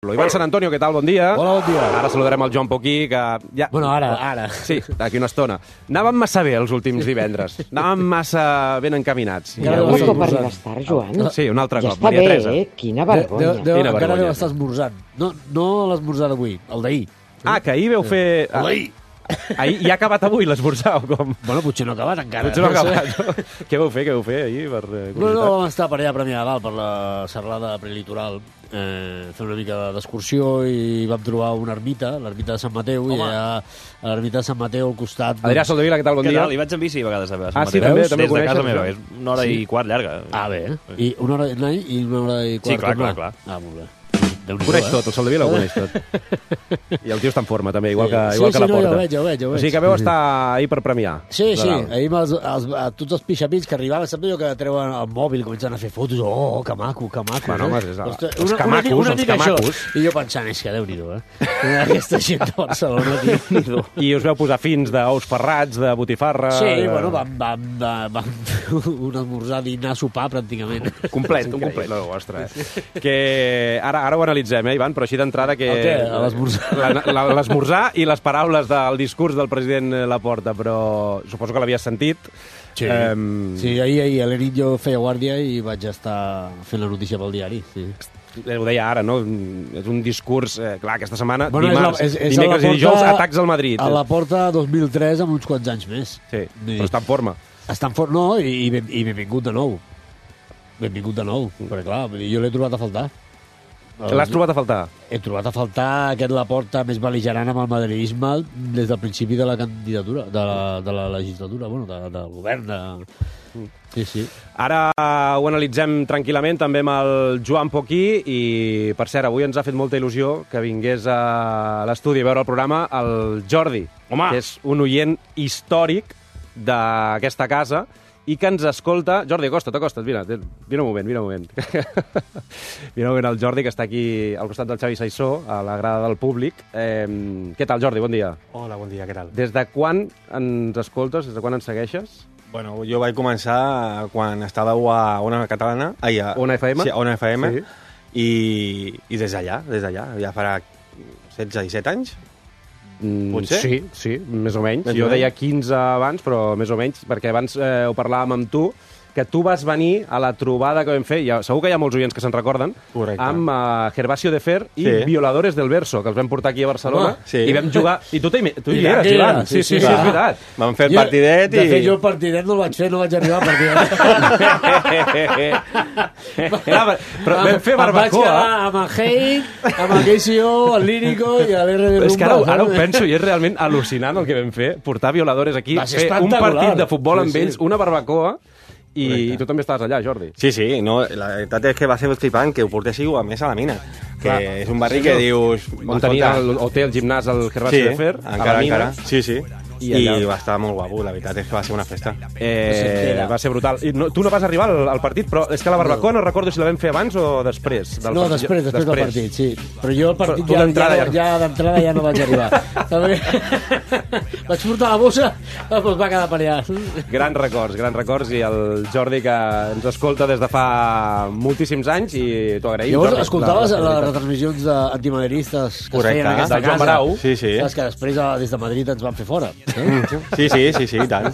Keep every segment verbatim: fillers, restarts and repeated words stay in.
Ivan Sant Antonio, què tal? Bon dia. Hola, bon dia. Ara saludarem el Joan Poquí, que... Ja... Bueno, ara, ara. Sí, d'aquí una estona. Anàvem massa bé els últims divendres. Anàvem massa ben encaminats. Encara Un deu cop estar arribes tard, Joan. Sí, un altre Ja cop. està Maria bé, Teresa. eh? Quina De, vergonya. de, de, Quina encara vergonya. deu estar esmorzant. No, no l'esmorzar d'avui, el d'ahir. Ah, que ahir veu fer... El d'ahir. Ahir, ja ha acabat avui l'esmorzar, o com? Bueno, potser no ha acabat encara. Potser no ha sé. acabat. Què vau fer, què vau fer ahir, per eh, No, no, curiositat? vam estar per allà a Premià de Dalt, per la serralada prelitoral, eh, fent una mica d'excursió i vam trobar una ermita, l'ermita de Sant Mateu, Home. i allà a l'ermita de Sant Mateu al costat... Adrià Soldevila, què tal? Bon Què dia. tal? Hi vaig en bici a vegades a Sant Ah, sí, Mateu. també, Des també ho de casa coneixes, meva. això? És una hora Sí. i quart llarga. Ah, bé, eh? I una hora d'anar i una hora i quart Sí, clar, tornar. clar, clar. Ah, molt bé. Ho coneix tot, el Soldevila ho coneix tot. I el tio està en forma, també, igual que, Sí, igual sí, que la no, ja Porta. ho veig, ja ho veig, ja ho O veig. sigui que veu estar ahir per premiar. Sí, sí, De dalt. ahir els, els, a tots els pixapins que arribaven, saps allò que treuen el mòbil, comencen a fer fotos, oh, que maco, que maco. Bueno, eh? home, és- Ostres, els una, camacos, una, una els mica camacos. Això. I jo pensant, és que Déu-n'hi-do, eh? Aquesta gent de Barcelona, tio. I us veu posar fins d'ous ferrats, de botifarra... Sí, de... bueno, vam, vam, vam, vam fer un esmorzar, dinar, sopar, pràcticament. Complet, un complet. No, ostres. Eh? Que ara, ara ho analitzem, eh, Ivan, però així d'entrada que... El què? L'esmorzar? La- la- L'esmorzar i les paraules del discurs del president Laporta, però suposo que l'havies sentit. Sí. Em, Sí, ahir, ahir a la nit jo feia guàrdia i vaig estar fent la notícia pel diari, sí. Ho deia ara, no? És un discurs... Eh, clar, aquesta setmana, Bueno, dimarts, és la- és- és dimecres a la i dijous, porta- atacs al Madrid. A la porta dos mil tres amb uns quants anys més. Sí, Vull dir, però està en forma. Està en fort, no, i, i, ben, i benvingut de nou. Benvingut de nou, perquè clar, vull dir, jo l'he trobat a faltar. L'has trobat a faltar? He trobat a faltar aquest Laporta més bel·ligerant amb el madridisme des del principi de la candidatura, de la, de la legislatura, bueno, de, del govern. De... Sí, sí. Ara ho analitzem tranquil·lament també amb el Joan Poquí i, per cert, avui ens ha fet molta il·lusió que vingués a l'estudi a veure el programa el Jordi, Home! que és un oient històric d'aquesta casa i que ens escolta... Jordi, acosta't, acosta't, vine, vine un moment, vine un moment. Vine un moment el Jordi, que està aquí al costat del Xavi Saissó, a la grada del públic. Eh, què tal, Jordi? Bon dia. Hola, bon dia, què tal? Des de quan ens escoltes? Des de quan ens segueixes? Bueno, jo vaig començar quan estàveu a Ona Catalana, ai, a Ona F M? Sí, a Ona F M, Sí. i, i des d'allà, des d'allà, ja farà setze i set anys. Mm, Potser? Sí, sí, més o menys. Més jo o menys. deia quinze abans, però més o menys, perquè abans eh, ho parlàvem amb tu, que tu vas venir a la trobada que vam fer, ja, segur que hi ha molts oients que se'n recorden, Correcte. amb uh, Gervasio de Fer i Sí. Violadores del Verso, que els vam portar aquí a Barcelona, Home, sí. i vam jugar... I tu, t'hi- tu hi I eres, aquí Ivan. era, Sí, sí, sí, sí, sí, sí. és veritat. Vam fer el Jo- partidet De i... fet, jo el partidet no el vaig fer, no vaig arribar al partidet. Clar, però vam fer Em vaig barbacoa. quedar amb el Hey, amb el K C O, el Lírico i l'R de Rumba. És que ara, ara ho saps? penso i és realment al·lucinant el que vam fer, portar Violadores aquí, Va ser fer un espectacular. partit de futbol amb Sí, sí. ells, una barbacoa, i, Correcte. i tu també estaves allà, Jordi. Sí, sí, no, la veritat és que va ser flipant que ho portéssiu a més a la mina, que Clar. és un barri Sí, que no? dius... On tenia el, o té el gimnàs el Gervasio Sí, de Fer, a encara, la mina. encara. Sí, sí. I I, allà- va estar molt guapo, la veritat és que va ser una festa. Eh, va ser brutal. I no, tu no vas arribar al, al partit, però és que la barbacoa no recordo si la vam fer abans o després. Del No, partit. després, després, del partit, sí. Però jo el partit Però tu ja, d'entrada ja, ja- ja, d'entrada ja no vaig arribar. També vaig portar la bossa, però es va quedar per allà. Grans records, grans records, i el Jordi que ens escolta des de fa moltíssims anys i t'ho agraïm. Llavors, Jordi, escoltaves la- la les fidelitat. retransmissions d'antimaderistes que Correcte. es feien en aquesta Del Joan casa. Barau. Sí, sí. Saps que després eh, des de Madrid ens van fer fora. Eh? Sí, sí, sí, sí, i tant.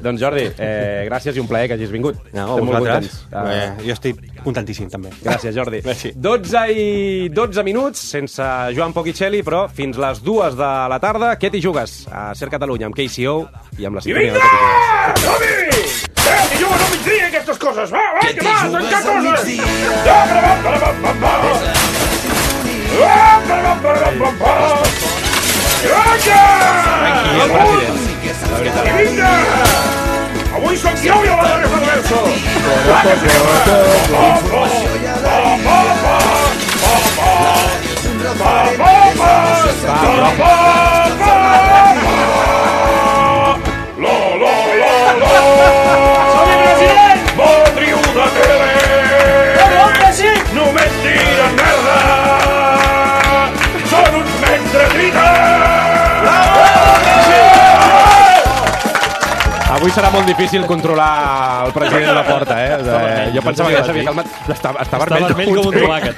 Doncs Jordi, eh, gràcies i un plaer que hagis vingut. No, Estem molt vosaltres. contents. Ah, Eh, jo estic contentíssim, també. Gràcies, Jordi. Merci. dotze i dotze minuts, sense Joan Poquicelli, però fins les dues de la tarda. Què t'hi jugues? A Ser Catalunya, amb K C O i amb la sintonia de Què t'hi jugues. Som-hi! Eh, que juguen al migdia aquestes coses! Va, va, que va, tancar coses! Ja, para, va, para, va, va, va. Va, para, va, para, va, va, va. Gràcies! Aquí el president, la veritat. I vinga! Avui som jo i la resta del verso! Som-hi, president! Motriu de tele! Només tiren merda! Són uns mentresrites! Avui serà molt difícil controlar el president de la porta, eh? eh jo pensava que ja s'havia calmat. Està, està, Està vermell, vermell com un tomàquet.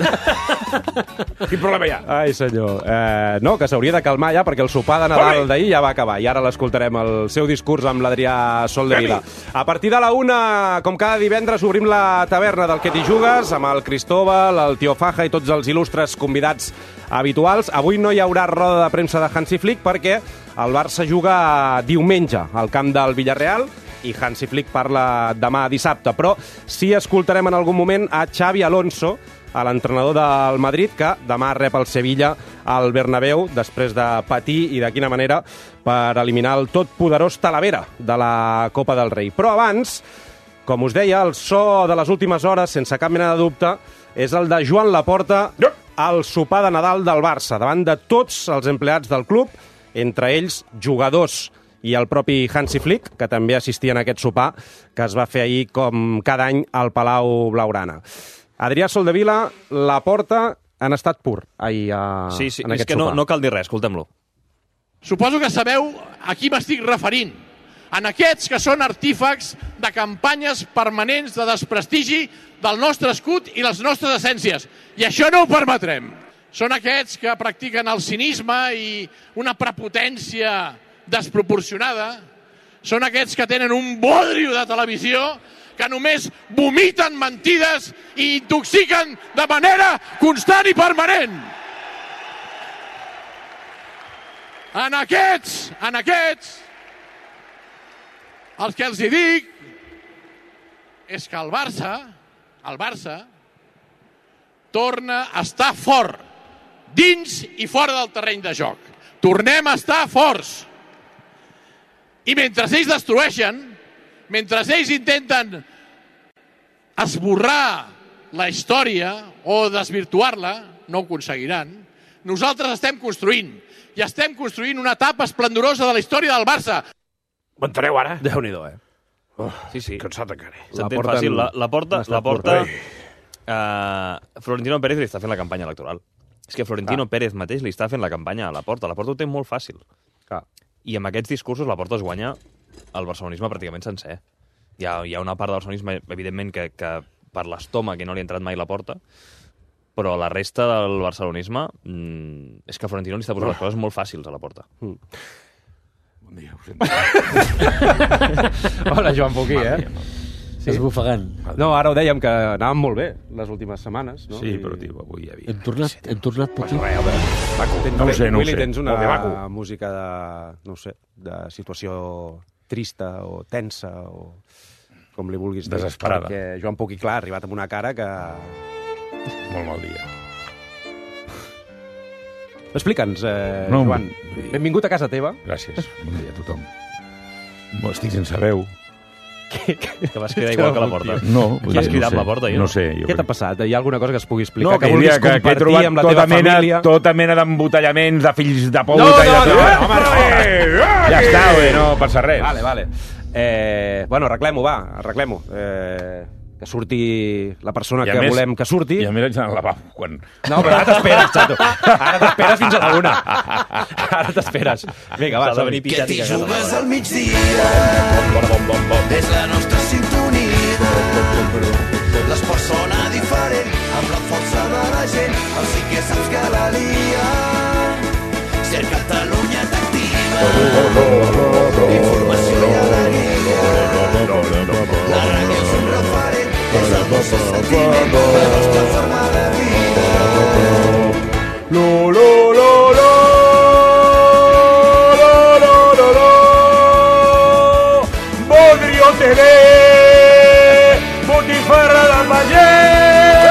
Quin problema hi ha? Ai, senyor. Eh, no, que s'hauria de calmar ja, perquè el sopar de Nadal d'ahir ja va acabar, i ara l'escoltarem, el seu discurs amb l'Adrià Soldevila. A partir de la una, com cada divendres, obrim la taverna del Que t'hi jugues, amb el Cristóbal, el Tio Faja i tots els il·lustres convidats habituals. Avui no hi haurà roda de premsa de Hansi Flick, perquè el Barça juga diumenge al camp del Villarreal, i Hansi Flick parla demà dissabte, però sí escoltarem en algun moment a Xavi Alonso, a l'entrenador del Madrid, que demà rep el Sevilla al Bernabéu, després de patir, i de quina manera, per eliminar el totpoderós Talavera de la Copa del Rei. Però abans, com us deia, el so de les últimes hores, sense cap mena de dubte, és el de Joan Laporta al sopar de Nadal del Barça, davant de tots els empleats del club, entre ells jugadors i el propi Hansi Flick, que també assistia en aquest sopar, que es va fer ahir, com cada any, al Palau Blaugrana. Adrià Soldevila, Laporta, han estat pur ahir a, sí, sí, en és aquest que no, sopar. no cal dir res, escoltem-lo. Suposo que sabeu a qui m'estic referint. En aquests que són artífecs de campanyes permanents de desprestigi del nostre escut i les nostres essències. I això no ho permetrem. Són aquests que practiquen el cinisme i una prepotència desproporcionada. Són aquests que tenen un bodrio de televisió, que només vomiten mentides i intoxiquen de manera constant i permanent. En aquests, en aquests, el que els hi dic és que el Barça, el Barça, torna a estar fort, dins i fora del terreny de joc. Tornem a estar forts. I mentre ells destrueixen, mentre ells intenten esborrar la història o desvirtuar-la, no ho aconseguiran, nosaltres estem construint. I estem construint una etapa esplendorosa de la història del Barça. Ho enteneu ara? Déu-n'hi-do, eh? Oh, Sí, sí. cansat encara. S'entén porten- fàcil. La, la porta... han estat La porta pur. uh, Florentino Pérez li està fent la campanya electoral. És que Florentino Ah. Pérez mateix li està fent la campanya a la porta. La porta ho té molt fàcil. Clar. I amb aquests discursos la porta es guanya el barcelonisme pràcticament sencer. Hi ha, hi ha una part del barcelonisme, evidentment, que, que per l'estómac que no li ha entrat mai la porta, però la resta del barcelonisme mmm, és que Florentino li està posant les coses molt fàcils a la porta. Bon dia, ho sento. Hola, Joan Poquí, eh? Sí. Esbufegant. No, ara ho dèiem, que anàvem molt bé les últimes setmanes, no? Sí, I- però, tio, avui hi havia... Hem tornat, hem tornat Poquí. Res, home, maco. Tens, No ho sé, no ho Willy, sé. tens una Molt bé, maco. música de, no ho sé, de situació trista o tensa o com li vulguis dir. Desesperada. Perquè Joan Poquí, clar, ha arribat amb una cara que... Molt mal dia. Explica'ns, eh, No, Joan. vull dir- Benvingut a casa teva. Gràcies. Bon dia a tothom. No, estic sense veu. Que vas cridar igual que la porta. No, Qui has cridat la porta, jo? No sé. Jo Què t'ha passat? Hi ha alguna cosa que es pugui explicar? No, que que, vulguis diria que, que he compartir trobat amb la tota teva mena, família? tota mena d'embotellaments de fills de puta No, i de no, tot. no, no, home, no. Eh, ja està, bé, no passa res. Vale, vale. Eh, bueno, arreglem-ho, va, arreglem-ho. Eh, que surti la persona I a que més- volem que surti. I a més haig d'anar al lavabo. Quan... No, però ara t'esperes, xato. Ara t'esperes fins a la una. Ara t'esperes. Vinga, va, S'ha de som-hi. venir picàtic a casa. Jugues al migdia, és la nostra sintonia. L'esport sona diferent, amb la força de la gent, el sí que saps que la lia. Si el Catalunya t'activa, informació i alegria. La ràdio és un referent, és el nostre sentiment, la nostra forma de vida. Lo, lo, lo, lo. Lo, lo, lo, lo. Bodrio T V. Botifarra del Pagès.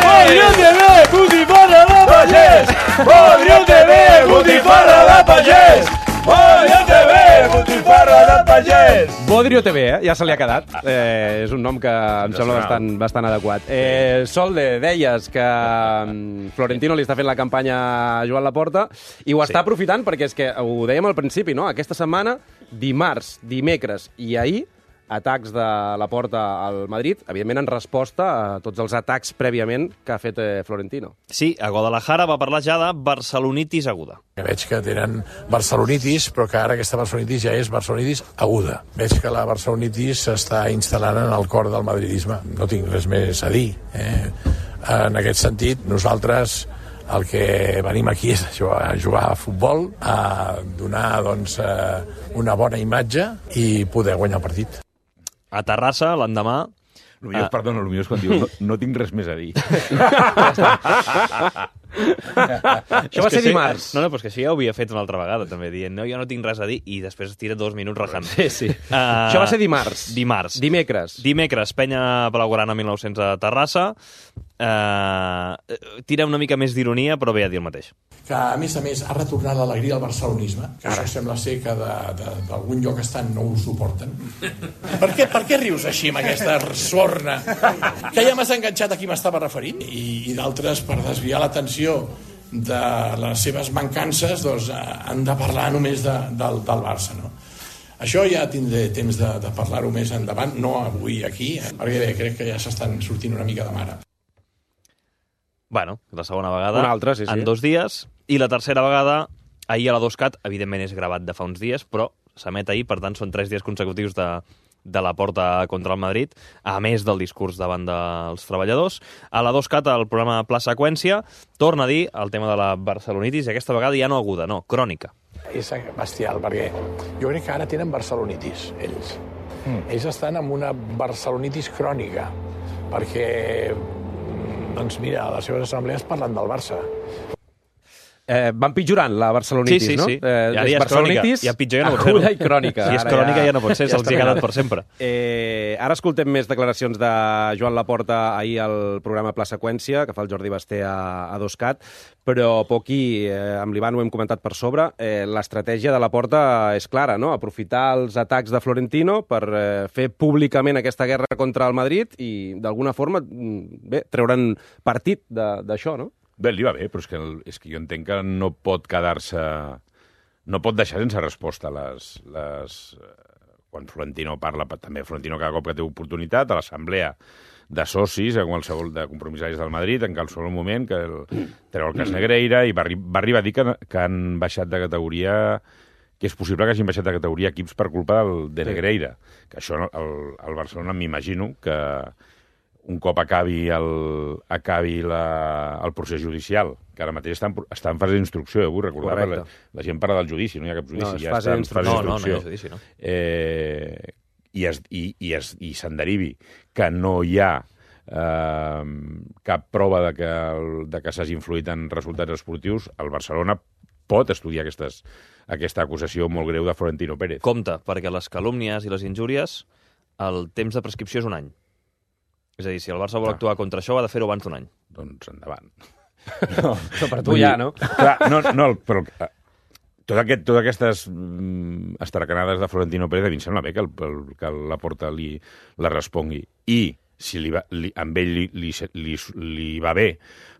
Bodrio T V. Botifarra del Pagès. Bodrio T V. Botifarra del Pagès. Bodrio T V. Botifarra del Pagès. Bodrio T V, eh? Ja se li ha quedat. Eh, és un nom que em sembla bastant, bastant adequat. Eh, Solde, deies que mm, Florentino li està fent la campanya a Joan Laporta i ho està aprofitant perquè és que ho dèiem al principi, no? Aquesta setmana, dimarts, dimecres i ahir, atacs de Laporta al Madrid, evidentment en resposta a tots els atacs prèviament que ha fet eh, Florentino. Sí, a Guadalajara va parlar ja de barcelonitis aguda. Que veig que tenen barcelonitis, però que ara aquesta barcelonitis ja és barcelonitis aguda. Veig que la barcelonitis s'està instal·lant en el cor del madridisme. No tinc res més a dir. Eh? En aquest sentit, nosaltres el que venim aquí és a jugar, a jugar a futbol, a donar doncs, una bona imatge i poder guanyar el partit. A Terrassa, l'endemà... El millor, ah. Perdona, el millor és quan diu no, no tinc res més a dir. Això va ser sí, dimarts. No, no, però és que això ja ho havia fet una altra vegada, també, dient, no, jo no tinc res a dir, i després es tira dos minuts rajant. Sí, sí. Uh, això va ser dimarts. Dimarts. Dimecres. Dimecres, Penya Blaugrana mil nou-cents a Terrassa. Uh, tira una mica més d'ironia, però ve a dir el mateix. Que, a més a més, ha retornat l'alegria al barcelonisme, que Ara. Això sembla ser que d'algun lloc estan no ho suporten. Per què, per què rius així amb aquesta sorna? Que ja m'has enganxat a qui m'estava referint? I, i d'altres, per desviar l'atenció de les seves mancances, doncs, han de parlar només de, del, del Barça, no? Això ja tindré temps de, de parlar-ho més endavant, no avui aquí, perquè bé, crec que ja s'estan sortint una mica de mare. Bueno, la segona vegada una altra, sí, sí. en dos dies, i la tercera vegada ahir a la Doscat, evidentment és gravat de fa uns dies, però s'emet ahir, per tant són tres dies consecutius de, de la porta contra el Madrid, a més del discurs davant dels treballadors. A la Doscat, el programa Pla Seqüència, torna a dir el tema de la barcelonitis, i aquesta vegada ja no aguda, no, crònica. És bestial, perquè jo crec que ara tenen barcelonitis, ells. Mm. Ells estan amb una barcelonitis crònica, perquè doncs mira, a les seves assemblees parlen del Barça. Eh, van pitjorant la barcelonitis, sí, sí, no? Sí, sí. Eh, ja és crònica. Ja pitjor ja no pot ser. Aguda i crònica. Si és crònica ja no pot ser, se'ls hi ha quedat per sempre. Eh, ara escoltem més declaracions de Joan Laporta ahir al programa Pla Seqüència, que fa el Jordi Basté a, a Doscat, però Poqui, eh, amb l'Ivan ho hem comentat per sobre, eh, l'estratègia de Laporta és clara, no? Aprofitar els atacs de Florentino per eh, fer públicament aquesta guerra contra el Madrid i, d'alguna forma, bé, treure'n partit d'això, no? Bé, li va bé, però és que, és que jo entenc que no pot quedar-se... No pot deixar sense resposta les... les quan Florentino parla, també Florentino cada cop que té oportunitat, a l'assemblea de socis, a qualsevol de compromissaris del Madrid, en qualsevol moment, que el, treu el cas Negreira, i va, va arribar a dir que, que han baixat de categoria, que és possible que hagin baixat de categoria equips per culpa del, de Negreira. Que això, el, el Barcelona, m'imagino que un cop acabi el, acabi la, el procés judicial, que ara mateix està en, està en fase d'instrucció, eh? Vull recordar, la, la gent parla del judici, no hi ha cap judici, no, ja està en fase d'instrucció. No, no, no hi ha judici, no. Eh, I es, i, i, es, i se'n derivi que no hi ha eh, cap prova de que, de que s'hagi influït en resultats esportius, el Barcelona pot estudiar aquestes, aquesta acusació molt greu de Florentino Pérez. Compte, perquè les calúmnies i les injúries, el temps de prescripció és un any. És a dir, si el Barça vol actuar contra això, ha de fer-ho abans d'un any. Doncs endavant. No, però per tu ja, no? Clar, no, no, però tot aquest, totes aquestes mm, estracanades de Florentino Pérez, a mi em sembla bé que, el, que la Porta li la respongui. I si li va, li, amb ell li, li, li, li va bé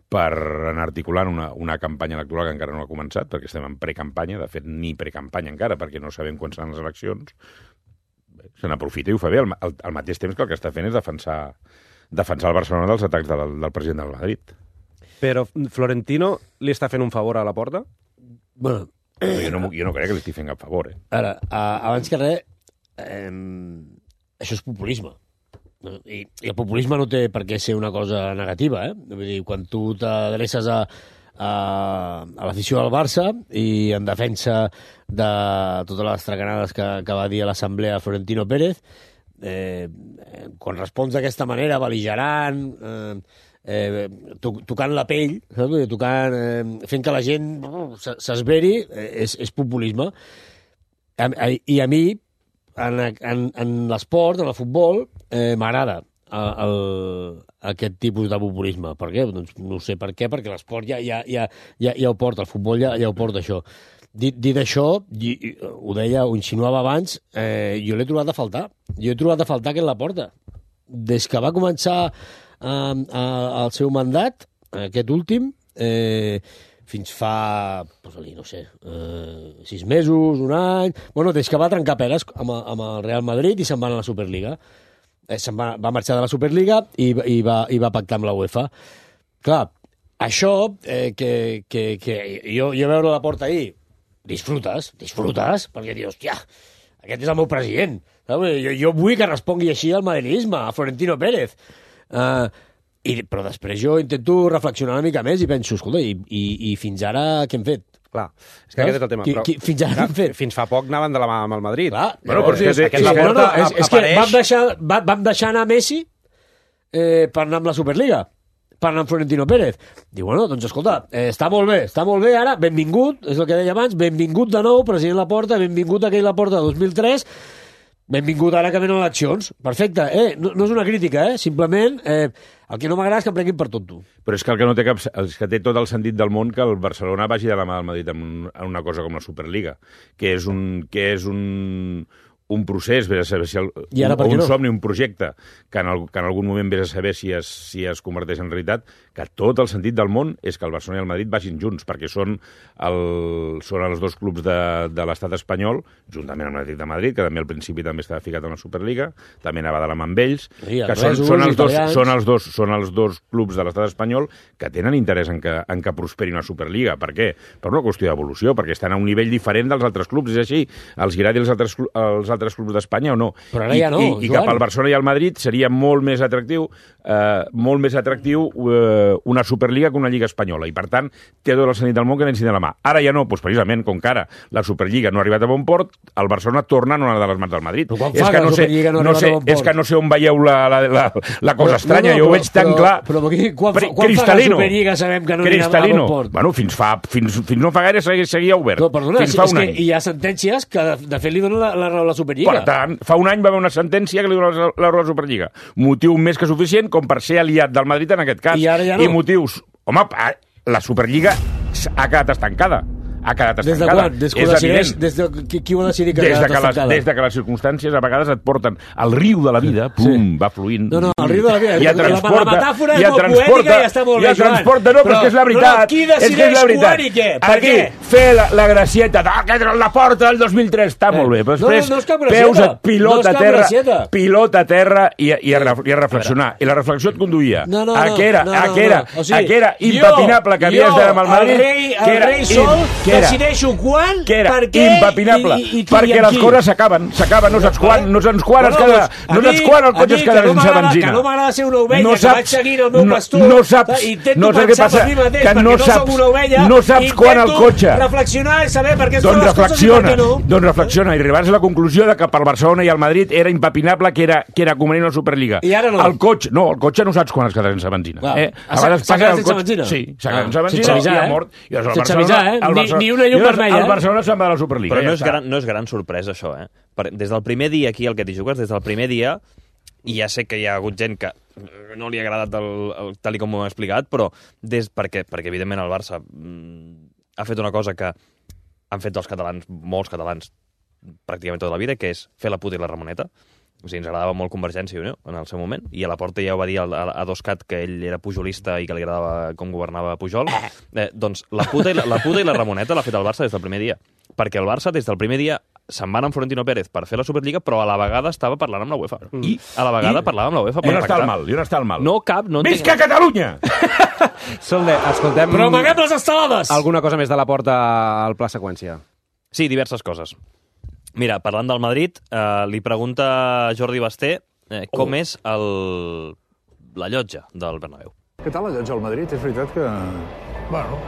per anar articulant una, una campanya electoral que encara no ha començat, perquè estem en precampanya, de fet, ni precampanya encara, perquè no sabem quan seran les eleccions, se n'aprofita i ho fa bé. Al, al, al mateix temps que el que està fent és defensar defensar el Barcelona dels atacs del, del president del Madrid. Però Florentino li està fent un favor a la Porta? Bueno, no, jo, no, jo no crec que li estigui fent cap favor. Eh? Ara, a, abans que res, eh, això és populisme. I, I el populisme no té per què ser una cosa negativa. Eh? Vull dir, quan tu t'adreces a, a, a l'afició del Barça i en defensa de totes les tracanades que, que va dir a l'assemblea Florentino Pérez, Eh, quan respons d'aquesta manera, bel·ligerant, eh, eh, to tocant la pell, saps? Tocant, eh, fent que la gent s'esveri, eh, és, és populisme. A, a, I a mi, en, en, en l'esport, en el futbol, eh, m'agrada aquest tipus de populisme. Per què? Doncs no sé per què, perquè l'esport ja, ja, ja, ja, ja ho porta, el futbol ja, ja ho porta, això. Dit, dit això, ho deia, ho insinuava abans, eh, jo l'he trobat a faltar. Jo he trobat a faltar que en la porta. Des que va començar eh, eh, el seu mandat, aquest últim, eh, fins fa, posa-li, no sé, eh, sis mesos, un any... Bueno, des que va trencar peres amb, amb el Real Madrid i se'n va a la Superliga. Eh, se'n va, va marxar de la Superliga i, i, va, i va pactar amb la UEFA. Clar, això, eh, que, que, que jo, jo veure la porta ahir, disfrutes, disfrutes, perquè dius, hòstia, aquest és el meu president. Jo, jo vull que respongui així al madridisme, a Florentino Pérez. Uh, I, però després jo intento reflexionar una mica més i penso, escolta, i, i, i fins ara què hem fet? Clar, és que aquest és el tema. Qui, però, qui, fins ara clar, què hem fet? Fins fa poc anaven de la mà amb el Madrid. Clar, bueno, però sí, és que sí, aquest sí, Laporta no, no, és, és que apareix... vam deixar, va, vam deixar anar Messi eh, per anar amb la Superliga, per anar amb Florentino Pérez. Diu, bueno, doncs escolta, eh, està molt bé, està molt bé ara, benvingut, és el que deia abans, benvingut de nou, president Laporta, benvingut aquell Laporta de dos mil tres, benvingut ara que venen eleccions. Perfecte, eh? No, no és una crítica, eh? Simplement, eh, el que no m'agrada és que em prenguin per tonto. Però és que el que no té cap... És que té tot el sentit del món que el Barcelona vagi de la mà del Madrid en, un, en una cosa com la Superliga, que és un... Que és un un procés, vés a saber si el, un, un no? somni, un projecte, que en, el, que en algun moment vés a saber si es, si es converteix en realitat, que tot el sentit del món és que el Barcelona i el Madrid vagin junts, perquè són, el, són els dos clubs de, de l'estat espanyol, juntament amb l'Atlètic de Madrid, que també al principi també estava ficat en la Superliga, també anava de la mà amb ells, sí, que són, són, els dos, són, els dos, són els dos clubs de l'estat espanyol que tenen interès en que, en que prosperi una Superliga. Per què? Per una qüestió d'evolució, perquè estan a un nivell diferent dels altres clubs, és així, els agradi els altres, els altres clubs d'Espanya o no. Però ara ja no, I, i, i cap al Barcelona i al Madrid seria molt més atractiu eh, molt més atractiu eh, una Superliga que una Lliga espanyola, i per tant té tot el sentit del món que n'ensin de la mà. Ara ja no, doncs precisament, com que ara la Superliga no ha arribat a bon port, el Barcelona torna a una de les mans del Madrid. Però quan és fa que que no la sé, Superliga no ha no arribat sé, a bon port? és que no sé on veieu la, la, la, la cosa però, estranya, no, no, jo ho però, veig tan però, clar. Però, però quan, fa, quan fa que la Superliga sabem que no anirà a bon port? Bueno, fins, fa, fins, fins no fa gaire seguia obert. No, perdona, fins és, fa és un que any. hi ha sentències que de, de fet li donen la, la raó a la Superliga. Per tant, fa un any va haver una sentència que li dona la raó a la Superliga. Motiu més que suficient com per ser aliat del Madrid en aquest cas. I ara ja no. I motius... Home, la Superliga ha quedat estancada. Ha quedat estancada. Des de quan? Des que és decideix, evident. des de, qui, qui ho ha decidit que des ha de quedat que les, estancada? Des de que les circumstàncies a vegades et porten al riu de la vida, pum, sí. va fluint. No, no, el riu de la vida. I et transporta, la metàfora i és et molt transporta, poètica i està molt bé, i et transporta, no, però, però és que és la veritat. Però qui decideix és que és la veritat. quan i què? Per Aquí, què? fer la, la gracieta, ah, que la porta del dos mil tres, està eh. molt bé, però després no, no és cap gracieta. peus, et pilota no és a terra, gracieta. pilota a terra i, i, a, i a reflexionar. I la reflexió et conduïa no, no, a que era, no, a no, que era, no. O sigui, a que era impepinable que havies d'anar amb el Madrid. El rei, el que era, rei Sol, que era, decideixo quan, que era per què impepinable, i, i, i, perquè les coses s'acaben, s'acaben, no saps quan, no saps quan, es queda, no saps quan el cotxe es queda sense benzina. Que no m'agrada ser una ovella, no que vaig seguint el meu no, pastor, no saps, intento no saps què passa, per mi mateix, que no perquè saps, no soc una ovella, no saps quan el cotxe... reflexionar i saber per què es doncs fan les coses i per què no. Doncs reflexiona, i arribaràs a la conclusió de que per Barcelona i el Madrid era impepinable que era, que era convenient la Superliga. I ara no. El cotxe, no, el cotxe no saps quan es queda sense benzina. Wow. Eh? A vegades s'ha quedat el sense cotxe... benzina? Sí, s'ha quedat sense benzina sense avisar, i ha eh? mort. I el sense avisar, eh? el Ni, ni una llum vermella. El Barcelona se'n va de la Superliga. Però no, ja és gran, no és gran sorpresa, això, eh? Per, des del primer dia aquí, el que t'hi jugues, des del primer dia, i ja sé que hi ha hagut gent que no li ha agradat el, el, tal i com ho hem explicat, però des, perquè, perquè evidentment el Barça mm, ha fet una cosa que han fet els catalans, molts catalans, pràcticament tota la vida, que és fer la puta i la Ramoneta. O sigui, ens agradava molt Convergència i Unió en el seu moment, i a la porta ja ho va dir a, a, a Doscat que ell era pujolista i que li agradava com governava Pujol. Eh, doncs la puta, i la, la puta i la Ramoneta l'ha fet el Barça des del primer dia. Perquè el Barça, des del primer dia, se'n va amb Florentino Pérez per fer la Superliga, però a la vegada estava parlant amb la UEFA. Mm. I a la vegada I, parlava amb la UEFA per pactar. I on està el mal? I on està el mal? No cap, no Visca entenc... Catalunya! Solde, escoltem... Però amaguem les estelades! Alguna cosa més de la porta al Pla Seqüència? Sí, diverses coses. Mira, parlant del Madrid, eh, li pregunta Jordi Basté eh, com oh. és el... la llotja del Bernabéu. Què tal la llotja al Madrid? És veritat que... Bueno,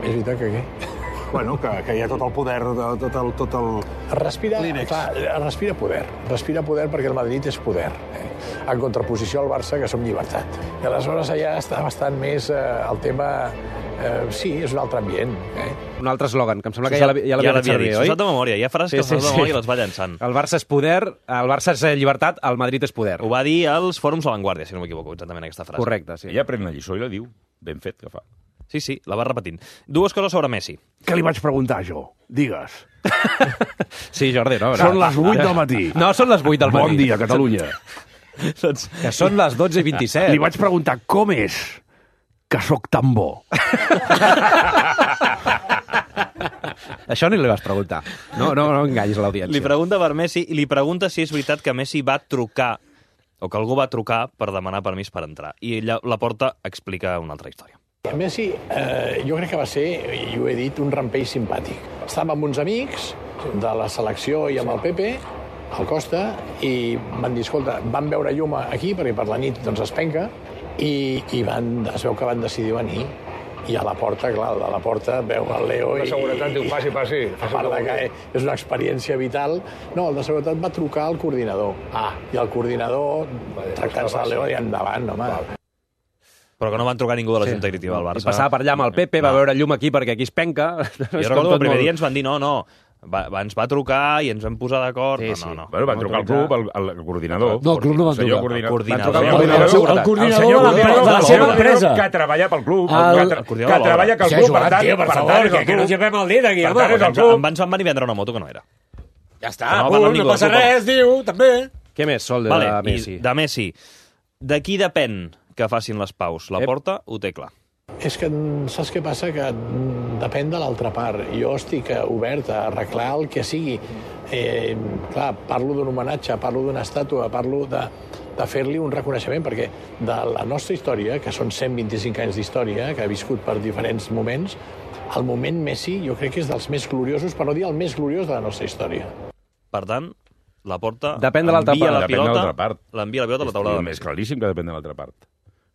és veritat que què? Bueno, que, que hi ha tot el poder, tot el... Tot el... Respira, clar, respira poder. Respira poder perquè el Madrid és poder. Eh? En contraposició al Barça, que som llibertat. I aleshores allà està bastant més eh, el tema... Eh, sí, és un altre ambient. Eh? Un altre eslògan, que em sembla que ja l'havia ja fet servir, oi? S'ho sap de memòria, hi ha frases sí, que sí, sí. de memòria i les va llançant. El Barça és poder, el Barça és llibertat, el Madrid és poder. Ho va dir als fòrums a l'Avantguàrdia, si no m'equivoco, exactament aquesta frase. Correcte, sí. Ella pren la lliçó i la diu. Ben fet que fa. Sí, sí, la va repetint. Dues coses sobre Messi. Què li vaig preguntar, jo? Digues. Sí, Jordi, no. Són les vuit del matí. No, són les vuit del matí. Bon dia, Catalunya. Que són les dotze i vint-i-set. Li vaig preguntar com és que sóc tan bo. Això ni li vas preguntar. No, no, no enganyis l'audiència. Li pregunta per Messi i li pregunta si és veritat que Messi va trucar o que algú va trucar per demanar permís per entrar. I ella, la porta explica una altra història. Messi, eh, jo crec que va ser, i ho he dit, un rampell simpàtic. Estàvem amb uns amics de la selecció i amb el Pepe, al Costa, i van dir, escolta, vam veure llum aquí, perquè per la nit doncs, es penca, i, i van, es veu que van decidir venir. I a la porta, clar, a la porta veu el Leo i... La seguretat diu, passi, passi. A part de que és una experiència vital. No, el de seguretat va trucar al coordinador. Ah. I el coordinador, tractant-se el Leo, i endavant, home. Però que no van trucar ningú de la Junta Directiva del Barça. I passava per allà amb el Pepe, va veure llum aquí perquè aquí es penca. Jo recordo que el primer dia ens van dir no, no, va, ens va trucar i ens vam posar d'acord. Sí, no, sí. no, no. Bueno, van trucar al club, el, el coordinador. No, el club no va senyor trucar. coordinador. El coordinador. El coordinador de la, de la seva empresa. Que treballa pel club. El- que, tra que treballa pel Sí, club. Joan, Per tant, tio, per per favor, tant, és que, el que no club. llevem el dit aquí, Per home. tant, és el Ens, club. em van, van venir a vendre una moto que no era. Ja està, Que no va punt, parlar no ningú passa del club. res, diu, també. Què més, Sol, de Vale, Messi? i de Messi. De qui depèn que facin les paus? La Ep. Porta ho té clar. És que saps què passa? Que depèn de l'altra part. Jo estic obert a arreglar el que sigui. Eh, clar, parlo d'un homenatge, parlo d'una estàtua, parlo de, de fer-li un reconeixement, perquè de la nostra història, que són cent vint-i-cinc anys d'història, que ha viscut per diferents moments, el moment Messi jo crec que és dels més gloriosos, per no dir el més gloriós de la nostra història. Per tant, la Porta Depèn de l'altra envia part. la Depèn de pilota, l'altra part. l'envia la pilota a la taula Estic de més claríssim que depèn de l'altra part.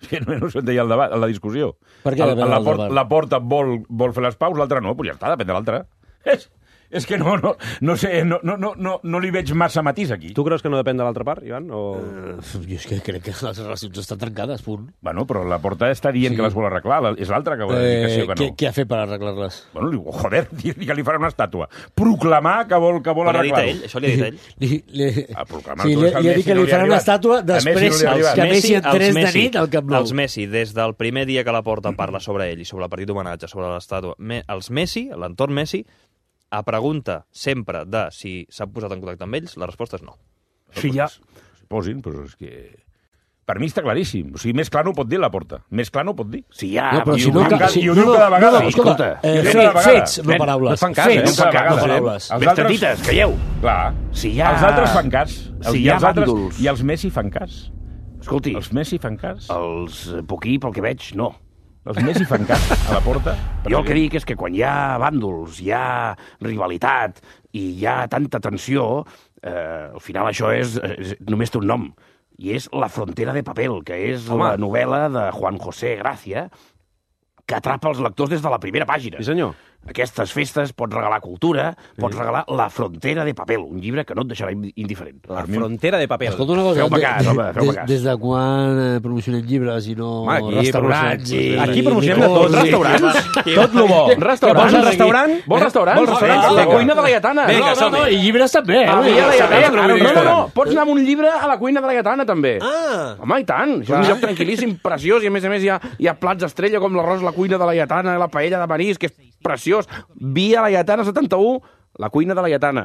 Que no, no se'n deia el debat, la discussió. Per què El- depèn de la, l'altra port, part? la porta vol, vol fer les paus, l'altra no, però ja està, depèn de l'altra. És, és que no, no, no sé, no, no, no, no, no li veig massa matís aquí. Tu creus que no depèn de l'altra part, Ivan? O... Uh, jo és que crec que les relacions estan trencades, punt. Bueno, però la porta està dient Sí. que les vol arreglar, la- és l'altra que vol dir que sí o que no. què, què ha fet per arreglar-les? Bueno, li diu, joder, dir que li farà una estàtua. Proclamar que vol, que vol Però l'ha dit arreglar-ho. ell, això li ha dit ell. Li, li, Ah, proclamar sí, tu, li, és que al li ha dit Messi que no li li ha farà una arribat. estàtua A Messi no després li ha arribat. que Messi els entrés de Messi- nit al Camp Nou. Els Messi, des del primer dia que la Porta parla sobre ell i sobre el partit d'homenatge, sobre l'estàtua, me, els Messi, l'entorn Messi, a pregunta sempre de si s'ha posat en contacte amb ells, la resposta és no. Si ja... Es posin, però és que... Per mi està claríssim. O sigui, més clar no ho pot dir la porta. Més clar no ho pot dir. Si ja... No, però I si ho no... diu ca- cada- si, i ho no, diu no, cada no, vegada. no, escolta, Sí, eh, ho diu fets, cada vegada. fets, no paraules. no fan cas, eh? Fets, Cada vegada. no paraules. Els Més altres- tetites, calleu. Clar. Si ja... Els altres fan cas. Els, Si i hi ha els altres, bàndols. I els Messi fan cas. Escolti, Els Messi fan cas. els eh, Poquí, pel que veig, no. Els Messi fan cas a la porta. Jo el que dic és que quan hi ha bàndols, hi ha rivalitat i hi ha tanta tensió, eh, al final això és, és només té un nom, i és La frontera de papel, que és Home. la novel·la de Juan José Gracia, que atrapa els lectors des de la primera pàgina. Sí, senyor. Aquestes festes pots regalar cultura, pots regalar La frontera de papel, un llibre que no et deixarà indiferent. La frontera de paper. Escolta una cosa, Feu-me de- cas, home, feu-me des, cas. des de quan eh, promocionem llibres i no Home, aquí restaurants? promocionem- i- aquí i promocionem de licors tot, i- restaurants. i- Tot lo bo. Restaurants, Vols un aquí. restaurant? Vols restaurant? Vols restaurant? La Vinga. cuina de la Lletana. Vinga, No, no, som-hi. no, i llibres també. Eh? Ah, Vull dir, ja, ja, ja, sabia que ja, no no, vull dir no, no, restaurant. pots anar amb un llibre a la cuina de la Lletana, també. Ah! Home, i tant. Això és un lloc tranquil·líssim, preciós, i a més a més hi ha, hi ha plats estrella com l'arròs a la cuina de la Lletana, la paella de marisc, que és preciós. Via la Lletana setanta-u, la cuina de la Lletana.